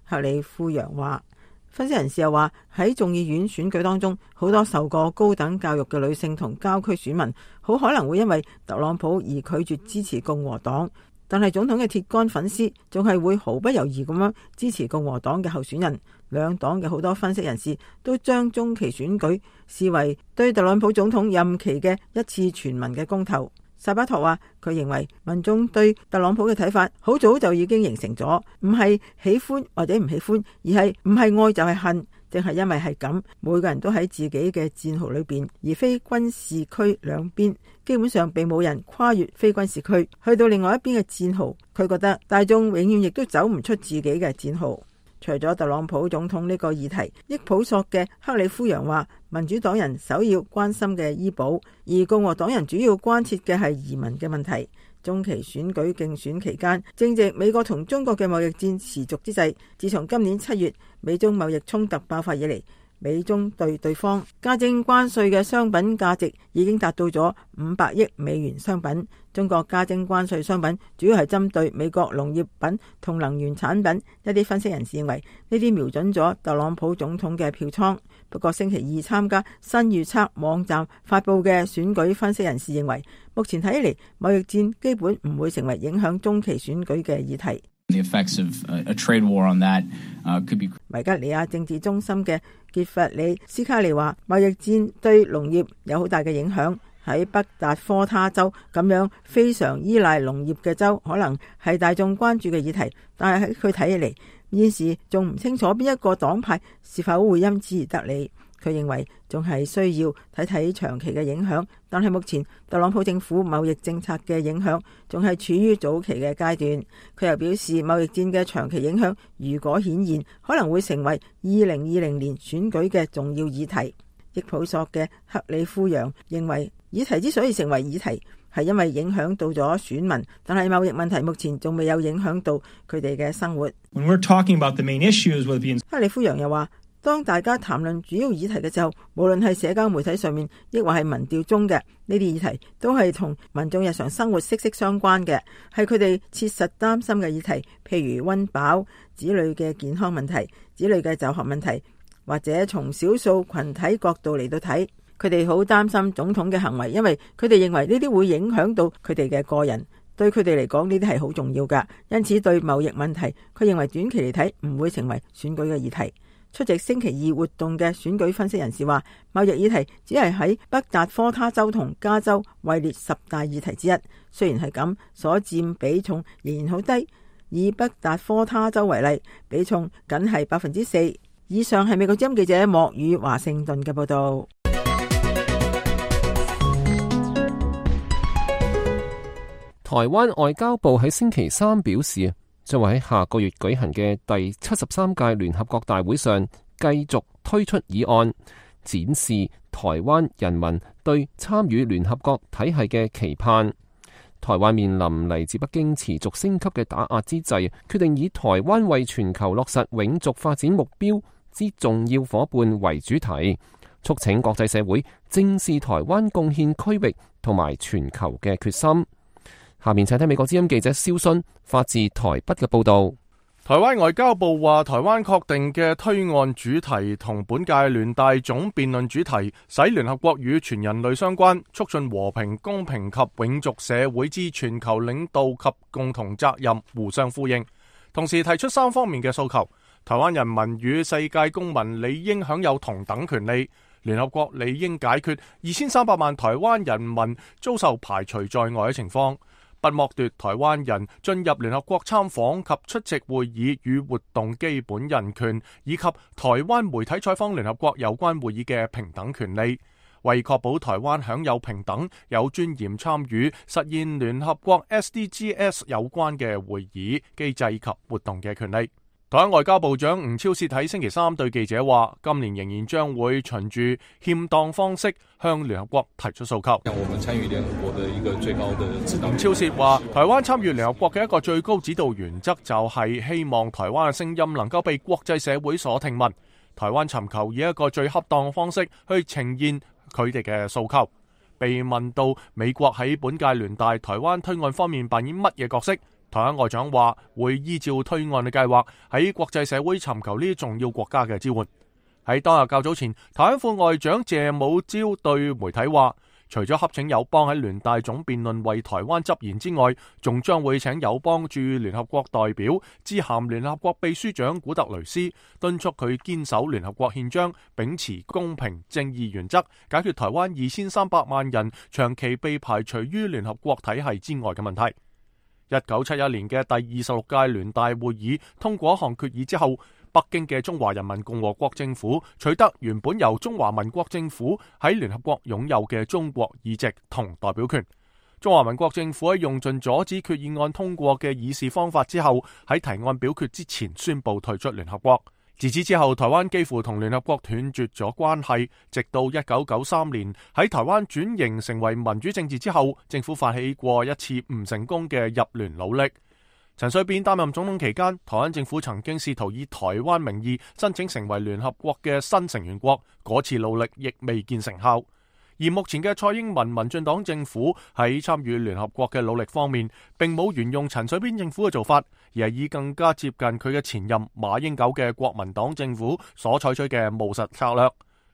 克里夫楊話。分析人士又話，喺眾議院選舉當中，好多受過高等教育嘅女性同郊區選民好可能會因為特朗普而拒絕支持共和黨，但係總統嘅鐵桿粉絲仲係會毫不猶豫咁樣支持共和黨嘅候選人。兩黨嘅好多分析人士都將中期選舉視為對特朗普總統任期嘅一次全民嘅公投。薩巴托話，佢認為民眾對特朗普嘅睇法好早就已經形成咗，唔係喜歡或者唔喜歡，而係唔係愛就係恨。正係因為係咁，每個人都喺自己嘅戰壕裏邊，而非軍事區兩邊基本上並冇人跨越非軍事區去到另外一邊嘅戰壕。佢覺得大眾永遠亦都走唔出自己嘅戰壕。除咗特朗普總統呢個議題，益普索嘅克里夫楊話，民主黨人首要關心嘅醫保，而共和黨人主要關切嘅係移民嘅問題。中期選舉競選期間，正值美國同中國嘅貿易戰持續之際，自從今年7月美中貿易衝突爆發以嚟，美中對對方加徵關稅嘅商品價值已經達到咗500億美元商品。中國加徵關稅商品主要係針對美國農業品同能源產品。一啲分析人士認為呢啲瞄準咗特朗普總統嘅票倉。不過星期二參加新預測網站發布嘅選舉分析人士認為，目前睇嚟貿易戰基本唔會成為影響中期選舉嘅議題。維吉尼亞政治中心嘅傑弗里斯卡利話，貿易戰對農業有好大嘅影響。喺北達科他州咁樣非常依賴農業嘅州，可能係大眾關注嘅議題，但係喺佢睇起嚟，現時仲唔清楚邊一個黨派是否會因此而得利。佢認為仲係需要睇睇長期嘅影響，但係目前特朗普政府貿易政策嘅影響仲係處於早期嘅階段。佢又表示，貿易戰嘅長期影響如果顯現，可能會成為2020年選舉嘅重要議題。益普索嘅克里夫揚認為，議題之所以成為議題，係因為影響到咗選民，但係貿易問題目前仲未有影響到佢哋嘅生活。克里夫揚又話，當大家談論主要議題嘅時候，無論係社交媒體上面，抑或係民調中嘅呢啲議題，都係同民眾日常生活息息相關嘅，係佢哋切實擔心嘅議題，譬如溫飽、子女嘅健康問題、子女嘅就學問題，或者從少數群體角度嚟到睇，佢哋好擔心總統嘅行為，因為佢哋認為呢啲會影響到佢哋嘅個人，對佢哋嚟講呢啲係好重要㗎。因此對貿易問題，佢認為短期嚟睇唔會成為選舉嘅議題。出席星期二活動嘅選舉分析人士話，貿易議題只係喺北達科他州同加州位列10大議題之一。雖然係咁，所佔比重仍然好低。以北達科他州為例，比重僅係4%。以上係美國之音記者莫宇華盛頓嘅報道。台灣外交部喺星期三表示，將會喺下個月舉行嘅第73屆聯合國大會上繼續推出議案，展示台灣人民對參與聯合國體系嘅期盼。台灣面臨嚟自北京持續升級嘅打壓之際，決定以台灣為全球落實永續發展目標之重要夥伴為主題，促請國際社會正視台灣貢獻區域同埋全球嘅決心。下面請聽美國之音記者蕭순發自台北嘅報道。台灣外交部話，台灣確定嘅推案主題同本屆聯大總辯論主題，使聯合國與全人類相關，促進和平、公平及永續社會之全球領導及共同責任互相呼應，同時提出3方面嘅訴求。台灣人民與世界公民理應享有同等權利，聯合國理應解決2300萬台灣人民遭受排除在外嘅情況，不剝奪台灣人進入聯合國參訪及出席會議與活動基本人權，以及台灣媒體採訪聯合國有關會議嘅平等權利，為確保台灣享有平等、有尊嚴參與實現聯合國 SDGs 有關嘅會議、機制及活動嘅權利。台灣外交部長吳釗燮喺星期三對記者話，今年仍然將會循住欠當方式向聯合國提出訴求。我們參與聯合國的一個最高的指導。吳釗燮話，台灣參與聯合國嘅一個最高指導原則就係希望台灣嘅聲音能夠被國際社會所聽聞。台灣尋求以一個最恰當嘅方式去呈現佢哋嘅訴求。被問到美國喺本屆聯大台灣推案方面扮演乜嘢角色？台灣外長話會依照推案嘅計劃喺國際社會尋求呢啲重要國家嘅支援。喺當日較早前，台灣副外長謝武朝對媒體話，除咗洽請友邦喺聯大總辯論為台灣執言之外，仲將會請友邦駐聯合國代表致函聯合國秘書長古特雷斯，敦促佢堅守聯合國憲章，秉持公平正義原則，解決台灣2300萬人長期被排除於聯合國體系之外嘅問題。1971年嘅第26屆聯大會議通過一項決議之後，北京嘅中華人民共和國政府取得原本由中華民國政府喺聯合國擁有嘅中國議席同代表權。中華民國政府喺用盡阻止決議案通過嘅議事方法之後，喺提案表決之前宣布退出聯合國。自此之後，台灣幾乎同聯合國斷絕咗關係，直到1993年喺台灣轉型成為民主政治之後，政府發起過一次唔成功嘅入聯努力。陳水扁擔任總統期間，台灣政府曾經試圖以台灣名義申請成為聯合國嘅新成員國，嗰次努力亦未見成效。而目前嘅蔡英文民進黨政府喺參與聯合國嘅努力方面，並冇沿用陳水扁政府嘅做法，而係以更加接近佢嘅前任馬英九嘅國民黨政府所採取嘅務實策略。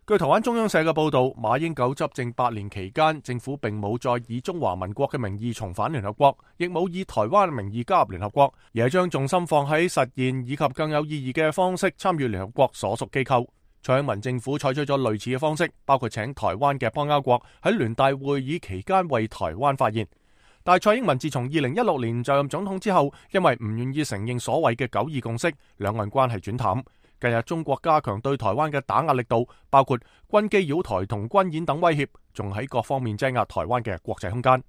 據台灣中央社嘅報導，馬英九執政8年期間，政府並冇再以中華民國嘅名義重返聯合國，亦冇以台灣名義加入聯合國，而係將重心放喺實現以及更有意義嘅方式參與聯合國所屬機構。蔡英文政府採取咗類似嘅方式，包括請台灣嘅邦交國喺聯大會議期間為台灣發言。但蔡英文自從2016年就任總統之後，因為唔願意承認所謂嘅九二共識，兩岸關係轉淡。近日中國加強對台灣嘅打壓力度，包括軍機擾台同軍演等威脅，仲喺各方面擠壓台灣嘅國際空間。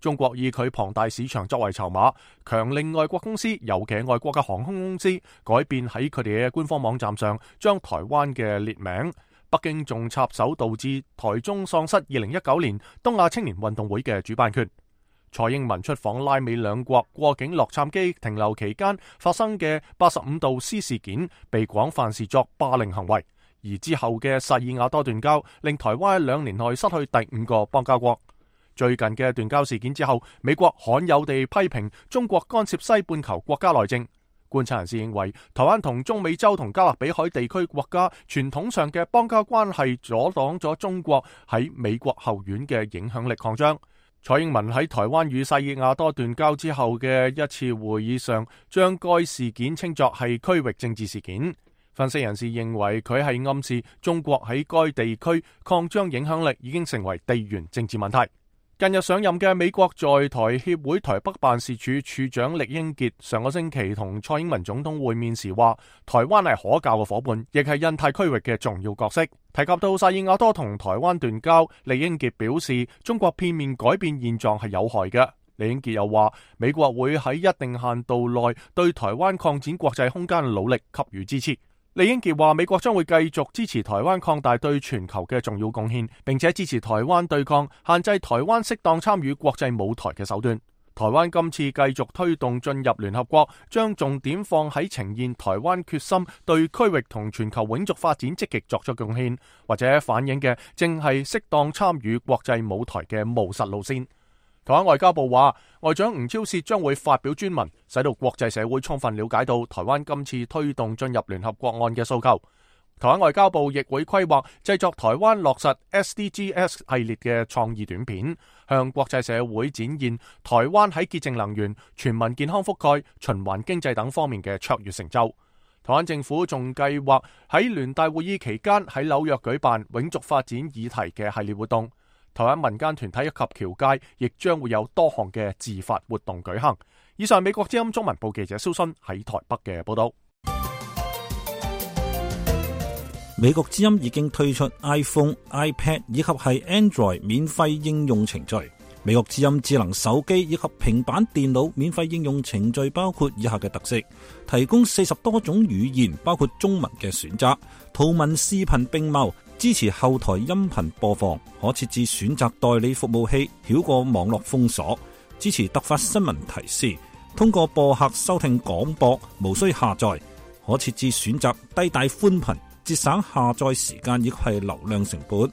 中國以佢龐大市場作為籌碼，強令外國公司，尤其係外國嘅航空公司，改變喺佢哋嘅官方網站上將台灣嘅列名。北京仲插手導致台中喪失2019年東亞青年運動會嘅主辦權。蔡英文出訪拉美兩國過境洛杉磯停留期間發生嘅85度 C 事件，被廣泛視作霸凌行為。而之後嘅薩爾瓦多斷交，令台灣喺2年內失去第5個邦交國。最近嘅斷交事件之後，美國罕有地批評中國干涉西半球國家內政。觀察人士認為，台灣同中美洲同加勒比海地區國家傳統上嘅邦交關係，阻擋咗中國喺美國後院嘅影響力擴張。蔡英文喺台灣與薩爾瓦多斷交之後嘅一次會議上，將該事件稱作係區域政治事件。分析人士認為，佢係暗示中國喺該地區擴張影響力已經成為地緣政治問題。近日上任嘅美國在台協會台北辦事處處長酈英傑上個星期同蔡英文總統會面時話，台灣係可靠嘅夥伴，亦係印太區域嘅重要角色。提及到薩爾瓦多同台灣斷交，酈英傑表示中國片面改變現狀係有害嘅。酈英傑又話，美國會喺一定限度內對台灣擴展國際空間嘅努力給予支持。酈英傑話，美國將會繼續支持台灣擴大對全球嘅重要貢獻，並且支持台灣對抗限制台灣適當參與國際舞台嘅手段。台灣今次繼續推動進入聯合國，將重點放喺呈現台灣決心對區域同全球永續發展積極作出貢獻，或者反映嘅正係適當參與國際舞台嘅務實路線。台灣外交部話，外長吳釗燮將會發表專文，使到國際社會充分了解到台灣今次推動進入聯合國案嘅訴求。台灣外交部亦會規劃製作台灣落實 SDGs 系列嘅創意短片，向國際社會展現台灣喺潔淨能源、全民健康覆蓋、循環經濟等方面嘅卓越成就。台灣政府仲計劃喺聯大會議期間喺紐約舉辦永續發展議題嘅系列活動。台灣民間團體以及僑界亦將會有多項嘅自發活動舉行。以上美國之音中文部記者蕭순喺台北嘅報道。美國之音已經推出 iPhone、iPad 以及係 Android 免費應用程序。美國之音智能手機以及平板電腦免費應用程序包括以下嘅特色：提供40多種語言，包括中文嘅選擇，圖文視頻並茂。支持後台音頻播放，可設置選擇代理服務器，繞過網絡封鎖。支持突發新聞提示，通過播客收聽廣播，無需下載。可設置選擇低帶寬頻，節省下載時間以及係流量成本。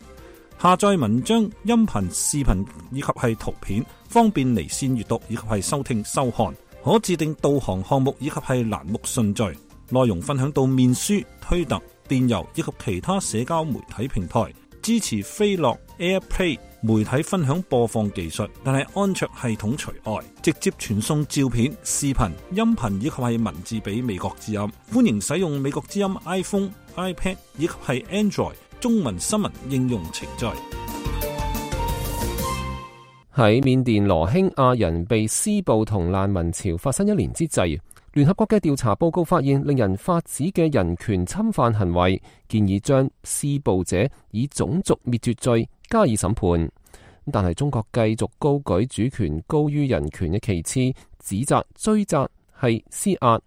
下載文章、音頻、視頻以及係圖片，方便離線閱讀以及係收聽收看。可自定導航項目以及係欄目順序。內容分享到面書、推特、電郵以及其他社交媒體平台，支持飛樂 AirPlay 媒體分享播放技術，但係安卓系統除外，直接傳送照片、視頻、音頻以及係文字俾美國之音。歡迎使用美國之音 iPhone、iPad 以及係 Android 中文新聞應用程序。喺緬甸羅興亞人被施暴同難民潮發生1年之際，聯合國嘅調查報告發現令人髮指嘅人權侵犯行為，建議將施暴者以種族滅絕罪加以審判。但係中國繼續高舉主權高於人權嘅旗幟，指責追責係施壓。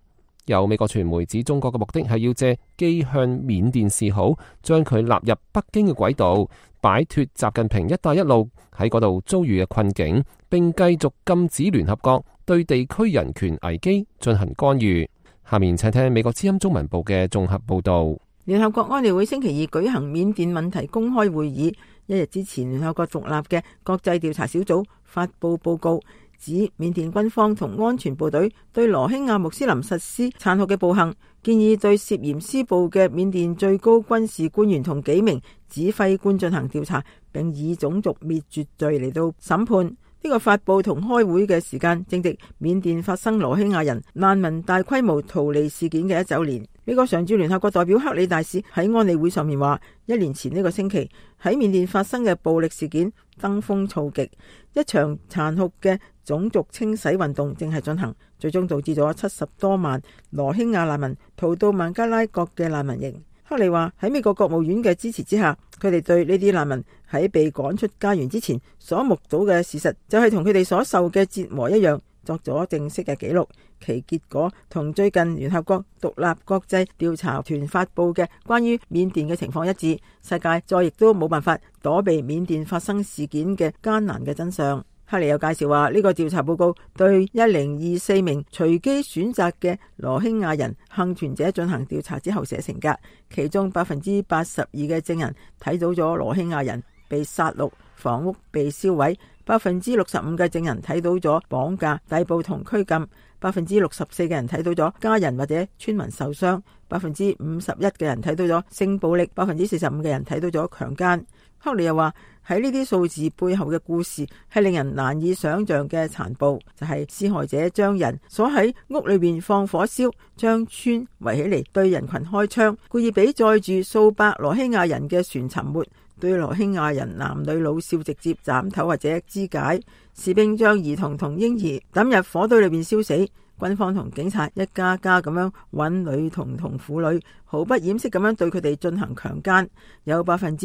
有美國傳媒指中國嘅目的係要借機向緬甸示好，將佢納入北京嘅軌道，擺脫習近平一帶一路喺嗰度遭遇嘅困境，並繼續禁止聯合國對地區人權危機進行干預。下面請聽美國之音中文部嘅綜合報道。聯合國安理會星期二舉行緬甸問題公開會議，一日之前，聯合國獨立嘅國際調查小組發佈報告，指緬甸軍方同安全部隊對羅興亞穆斯林實施殘酷嘅暴行，建議對涉嫌施暴嘅緬甸最高軍事官員同幾名指揮官進行調查，並以種族滅絕罪嚟到審判。呢個發佈同開會嘅時間正值緬甸發生羅興亞人難民大規模逃離事件嘅1週年。美國常駐聯合國代表克里大使喺安理會上面話，1年前呢個星期喺緬甸發生嘅暴力事件登峰造極，一場殘酷嘅種族清洗運動正係進行，最終導致咗70多萬羅興亞難民逃到孟加拉國嘅難民營。克里話喺美國國務院嘅支持之下，佢哋對呢啲難民喺被趕出家園之前所目睹嘅事實，就係同佢哋所受嘅折磨一樣，作咗正式嘅記錄。其結果同最近聯合國獨立國際調查團發佈嘅關於緬甸嘅情況一致，世界再亦都冇辦法躲避緬甸發生事件嘅艱難嘅真相。克里又介紹話，呢個調查報告對1024名隨機選擇嘅羅興亞人幸存者進行調查之後寫成㗎，其中82%嘅證人睇到咗羅興亞人被殺戮、房屋被燒毀，65%嘅證人睇到咗綁架、逮捕同拘禁，64%嘅人睇到咗家人或者村民受傷，51%嘅人睇到咗性暴力，45%嘅人睇到咗強姦。克里又話喺呢啲數字背後嘅故事係令人難以想象嘅殘暴，就係施害者將人鎖喺屋裏邊放火燒，將村圍起嚟對人群開槍，故意俾載住數百羅興亞人嘅船沉沒，對羅興亞人男女老少直接斬頭或者肢解，士兵將兒童同嬰兒抌入火堆裏邊燒死。軍方同警察一家家咁樣揾女童同婦女，毫不掩飾咁樣對佢哋進行強姦。有20%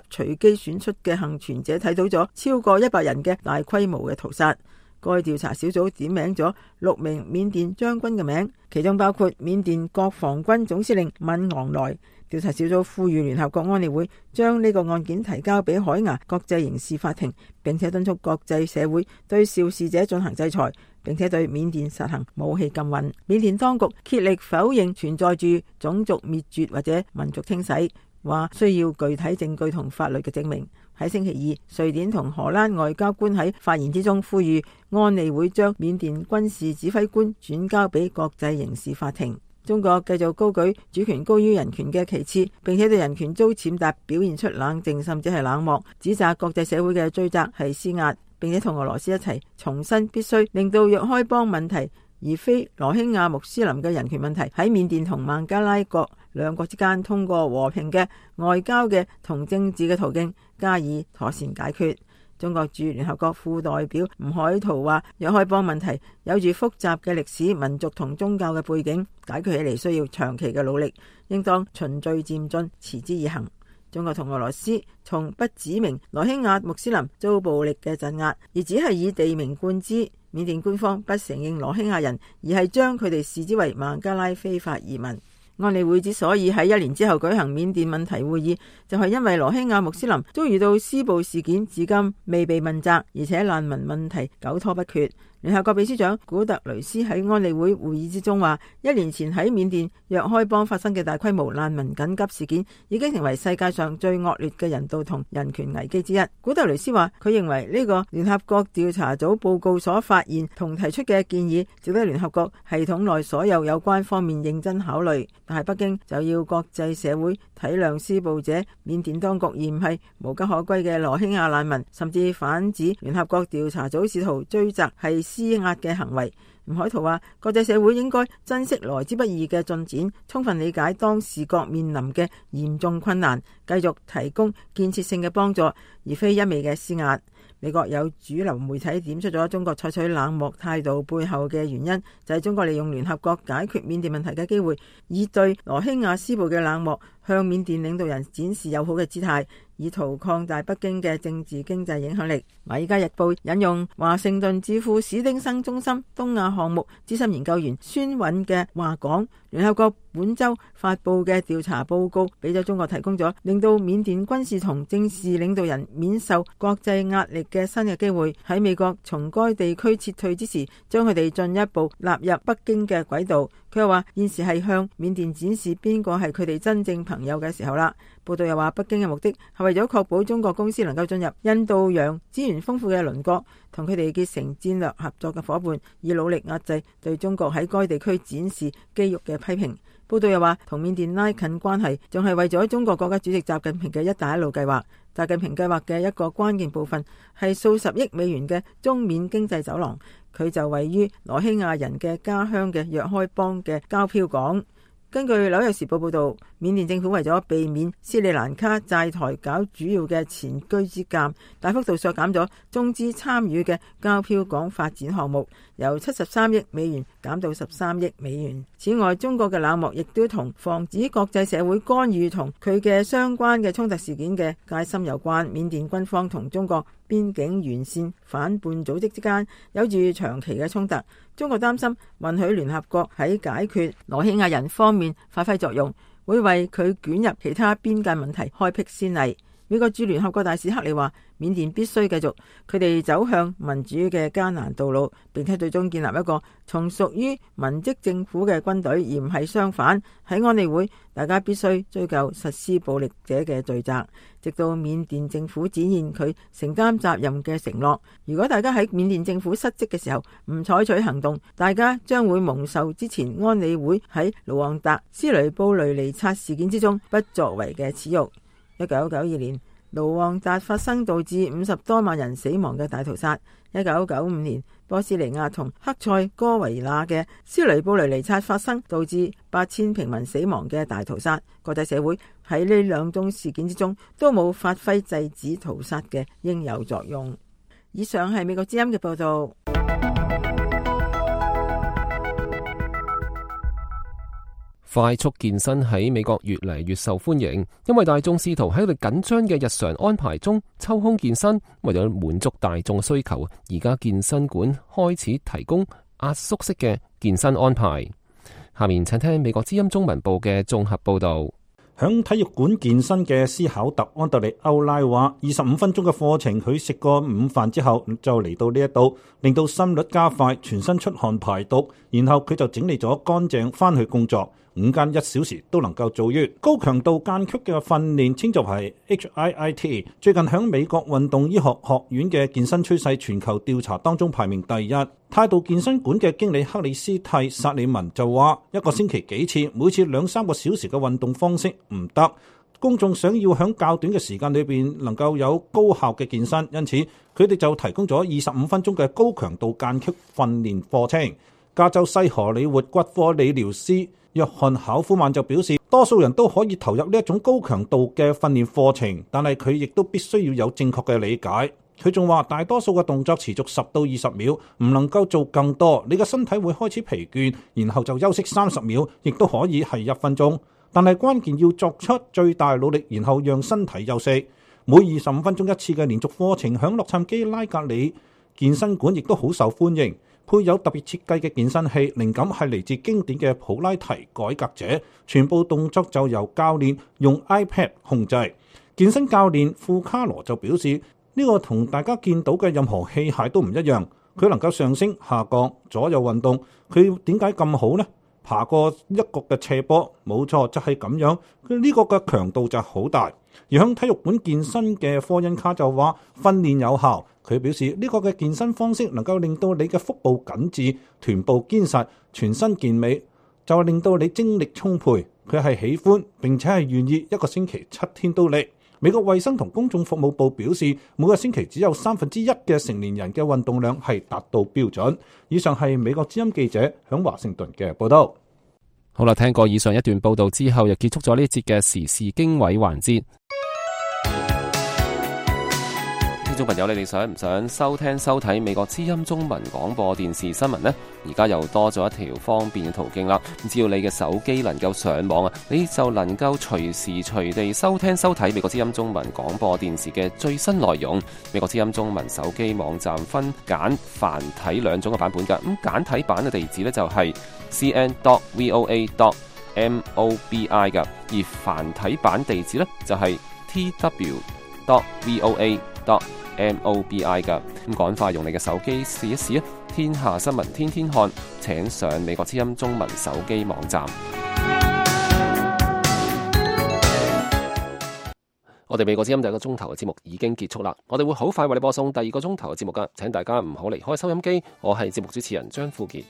隨機選出嘅幸存者睇到咗超過100人嘅大規模嘅屠殺。該調查小組點名咗6名緬甸將軍嘅名，其中包括緬甸國防軍總司令敏昂萊。調查小組呼籲聯合國安理會將呢個案件提交俾海牙國際刑事法庭，並且敦促國際社會對肇事者進行制裁，並且對緬甸實行武器禁運。緬甸當局竭力否認存在住種族滅絕或者民族清洗，話需要具體證據同法律嘅證明。喺星期二，瑞典同荷蘭外交官喺發言之中呼籲安理會將緬甸軍事指揮官轉交俾國際刑事法庭。中國繼續高舉主權高於人權嘅旗幟，並且對人權遭踐踏表現出冷靜甚至係冷漠，指責國際社會嘅追責係施壓，並且同俄羅斯一齊重申必須令到若開邦問題而非羅興亞穆斯林嘅人權問題喺緬甸同孟加拉國兩國之間通過和平嘅外交嘅同政治嘅途徑加以妥善解決。中國駐聯合國副代表吳海濤話，若開邦問題有住複雜嘅歷史、民族同宗教嘅背景，解決起嚟需要長期嘅努力，應當循序漸進，持之以恆。中國同俄羅斯從不指明羅興亞穆斯林遭暴力嘅鎮壓，而只係以地名冠之。緬甸官方不承認羅興亞人，而係將佢哋視之為孟加拉非法移民。安理會之所以喺1年之後舉行緬甸問題會議，就係因為羅興亞穆斯林遭遇到施暴事件，至今未被問責，而且難民問題久拖不決。聯合國秘書長古特雷斯喺安理會會議之中話，1年前喺緬甸若開邦發生嘅大規模難民緊急事件，已經成為世界上最惡劣嘅人道同人權危機之一。古特雷斯話，佢認為呢個聯合國調查組報告所發現同提出嘅建議，值得聯合國系統內所有有關方面認真考慮。但係北京就要國際社會體諒施暴者緬甸當局，而唔係無家可歸嘅羅興亞難民，甚至反指聯合國調查組試圖追責係施壓嘅行為。吳海濤話，國際社會應該珍惜來之不易嘅進展，充分理解當事國面臨嘅嚴重困難，繼續提供建設性嘅幫助，而非一味嘅施壓。美國有主流媒體點出咗中國採取冷漠態度背後嘅原因，就係中國利用聯合國解決緬甸問題嘅機會，以對羅興亞施暴嘅冷漠向緬甸領導人展示友好嘅姿態，以圖擴大北京嘅政治經濟影響力。《華爾街日報》引用華盛頓智庫史丁生中心東亞項目資深研究員孫允嘅話講，聯合國本週發佈嘅調查報告俾咗中國提供咗令到緬甸軍事同政治領導人免受國際壓力嘅新嘅機會，喺美國從該地區撤退之時，將佢哋進一步納入北京嘅軌道。佢又話現時係向緬甸展示邊個係佢哋真正朋友嘅時候啦。報道又話北京嘅目的係為咗確保中國公司能夠進入印度洋資源豐富嘅鄰國，同佢哋結成戰略合作嘅伙伴，以努力壓制對中國喺該地區展示肌肉嘅批評。報道又話同緬甸拉近關係，仲係為咗中國國家主席習近平嘅一帶一路計劃。習近平計劃嘅一個關鍵部分係數十億美元嘅中緬經濟走廊，佢就位於羅興亞人嘅家鄉嘅若開邦嘅膠漂港。根據《紐約時報》報導，緬甸政府為咗避免斯里蘭卡債台搞主要嘅前車之鑑，大幅度削減咗中資參與嘅膠漂港發展項目，由73億美元減到13億美元。此外，中國嘅冷漠亦都同防止國際社會干預同佢嘅相關嘅衝突事件嘅戒心有關。緬甸軍方同中國邊境沿線反叛組織之間有住長期嘅衝突，中國擔心允許聯合國喺解決羅興亞人方面發揮作用，會為佢捲入其他邊界問題開闢先例。美國駐聯合國大使克里話，緬甸必須繼續佢哋走向民主嘅艱難道路，並且最終建立一個從屬於民職政府嘅軍隊，而唔係相反。喺安理會，大家必須追究實施暴力者嘅罪責，直到緬甸政府展現佢承擔責任嘅承諾。如果大家喺緬甸政府失職嘅時候唔採取行動，大家將會蒙受之前安理會喺盧旺達斯雷布雷尼察事件之中不作為嘅恥辱。1992年，盧旺達發生導致50多萬人死亡嘅大屠殺。1995年，波斯尼亞同克塞哥維那嘅斯雷布雷尼察發生導致8000平民死亡嘅大屠殺。國際社會喺呢兩宗事件之中都冇發揮制止屠殺嘅應有作用。以上係美國之音嘅報道。快速健身喺美國越嚟越受歡迎，因為大眾試圖喺佢哋緊張嘅日常安排中抽空健身，為咗滿足大眾需求，而家健身館開始提供壓縮式嘅健身安排。下面請聽美國之音中文部嘅綜合報道。響體育館健身嘅斯考特安德利歐拉話，25分鐘嘅課程，佢食過午飯之後就嚟到呢一度，令到心率加快，全身出汗排毒，然後佢就整理咗乾淨翻去工作。5間1小時都能夠做完。高強度間隙嘅訓練稱作係 HIIT， 最近響美國運動醫學學院嘅健身趨勢全球調查當中排名第一。態度健身館嘅經理克里斯蒂薩里文就話，一個星期幾次，每次2-3個小時嘅運動方式唔得，公眾想要響較短嘅時間裏邊能夠有高效嘅健身，因此佢哋就提供咗25分鐘嘅高強度間隙訓練課程。加州西荷里活骨科理療師約翰考夫曼就表示，多數人都可以投入呢一種高強度嘅訓練課程，但係佢亦都必須要有正確嘅理解。佢仲話，大多數嘅動作持續10到20秒，唔能夠做更多，你嘅身體會開始疲倦，然後就休息30秒，亦都可以係1分鐘。但係關鍵要作出最大努力，然後讓身體休息。每25分鐘一次嘅連續課程，響洛杉磯拉格里健身館亦都好受歡迎。配有特別設計嘅健身器，靈感係嚟自經典嘅普拉提改革者，全部動作就由教練用 iPad 控制。健身教練富卡羅就表示，呢個同大家見到嘅任何器械都唔一樣，佢能夠上升、下降、左右運動。佢點解咁好呢？爬過一個嘅斜坡，冇錯，就係咁樣。佢呢個嘅強度就好大。而響體育館健身嘅科恩卡就話，訓練有效。佢表示呢個嘅健身方式能夠令到你嘅腹部緊緻、臀部堅實、全身健美，就令到你精力充沛。佢係喜歡並且係願意一個星期7天都嚟。美國衛生同公眾服務部表示，每個星期只有1/3嘅成年人嘅運動量係達到標準。以上係美國之音記者響華盛頓嘅報道。好啦，聽過以上一段報道之後，又結束咗呢一節嘅時事經緯環節。聽眾朋友，你哋想唔想收聽收睇美國之音中文廣播電視新聞呢？而家又多咗一條方便嘅途徑啦。只要你嘅手機能夠上網啊，你就能夠隨時隨地收聽收睇美國之音中文廣播電視嘅最新內容。美國之音中文手機網站分簡繁體兩種嘅版本㗎。咁簡體版嘅地址呢，就係 cn.voa.mobi 㗎，而繁體版地址呢，就係 tw.voa.mobi 噶。咁趕快用你嘅手機試一試啊！天下新聞天天看，請上美國之音中文手機網站。我哋美國之音第一個鐘頭嘅節目已經結束啦，我哋會好快為你播送第二個鐘頭嘅節目噶，請大家唔好離開收音機。我係節目主持人張富傑。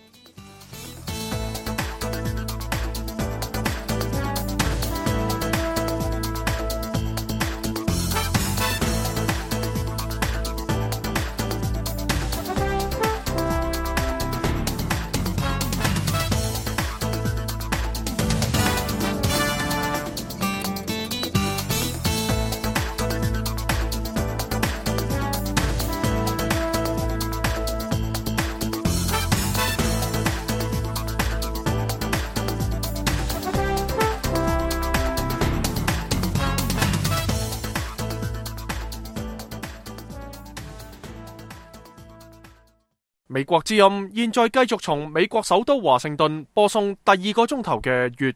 美國之音現在繼續從美國首都華盛頓播送第二個鐘頭嘅粵語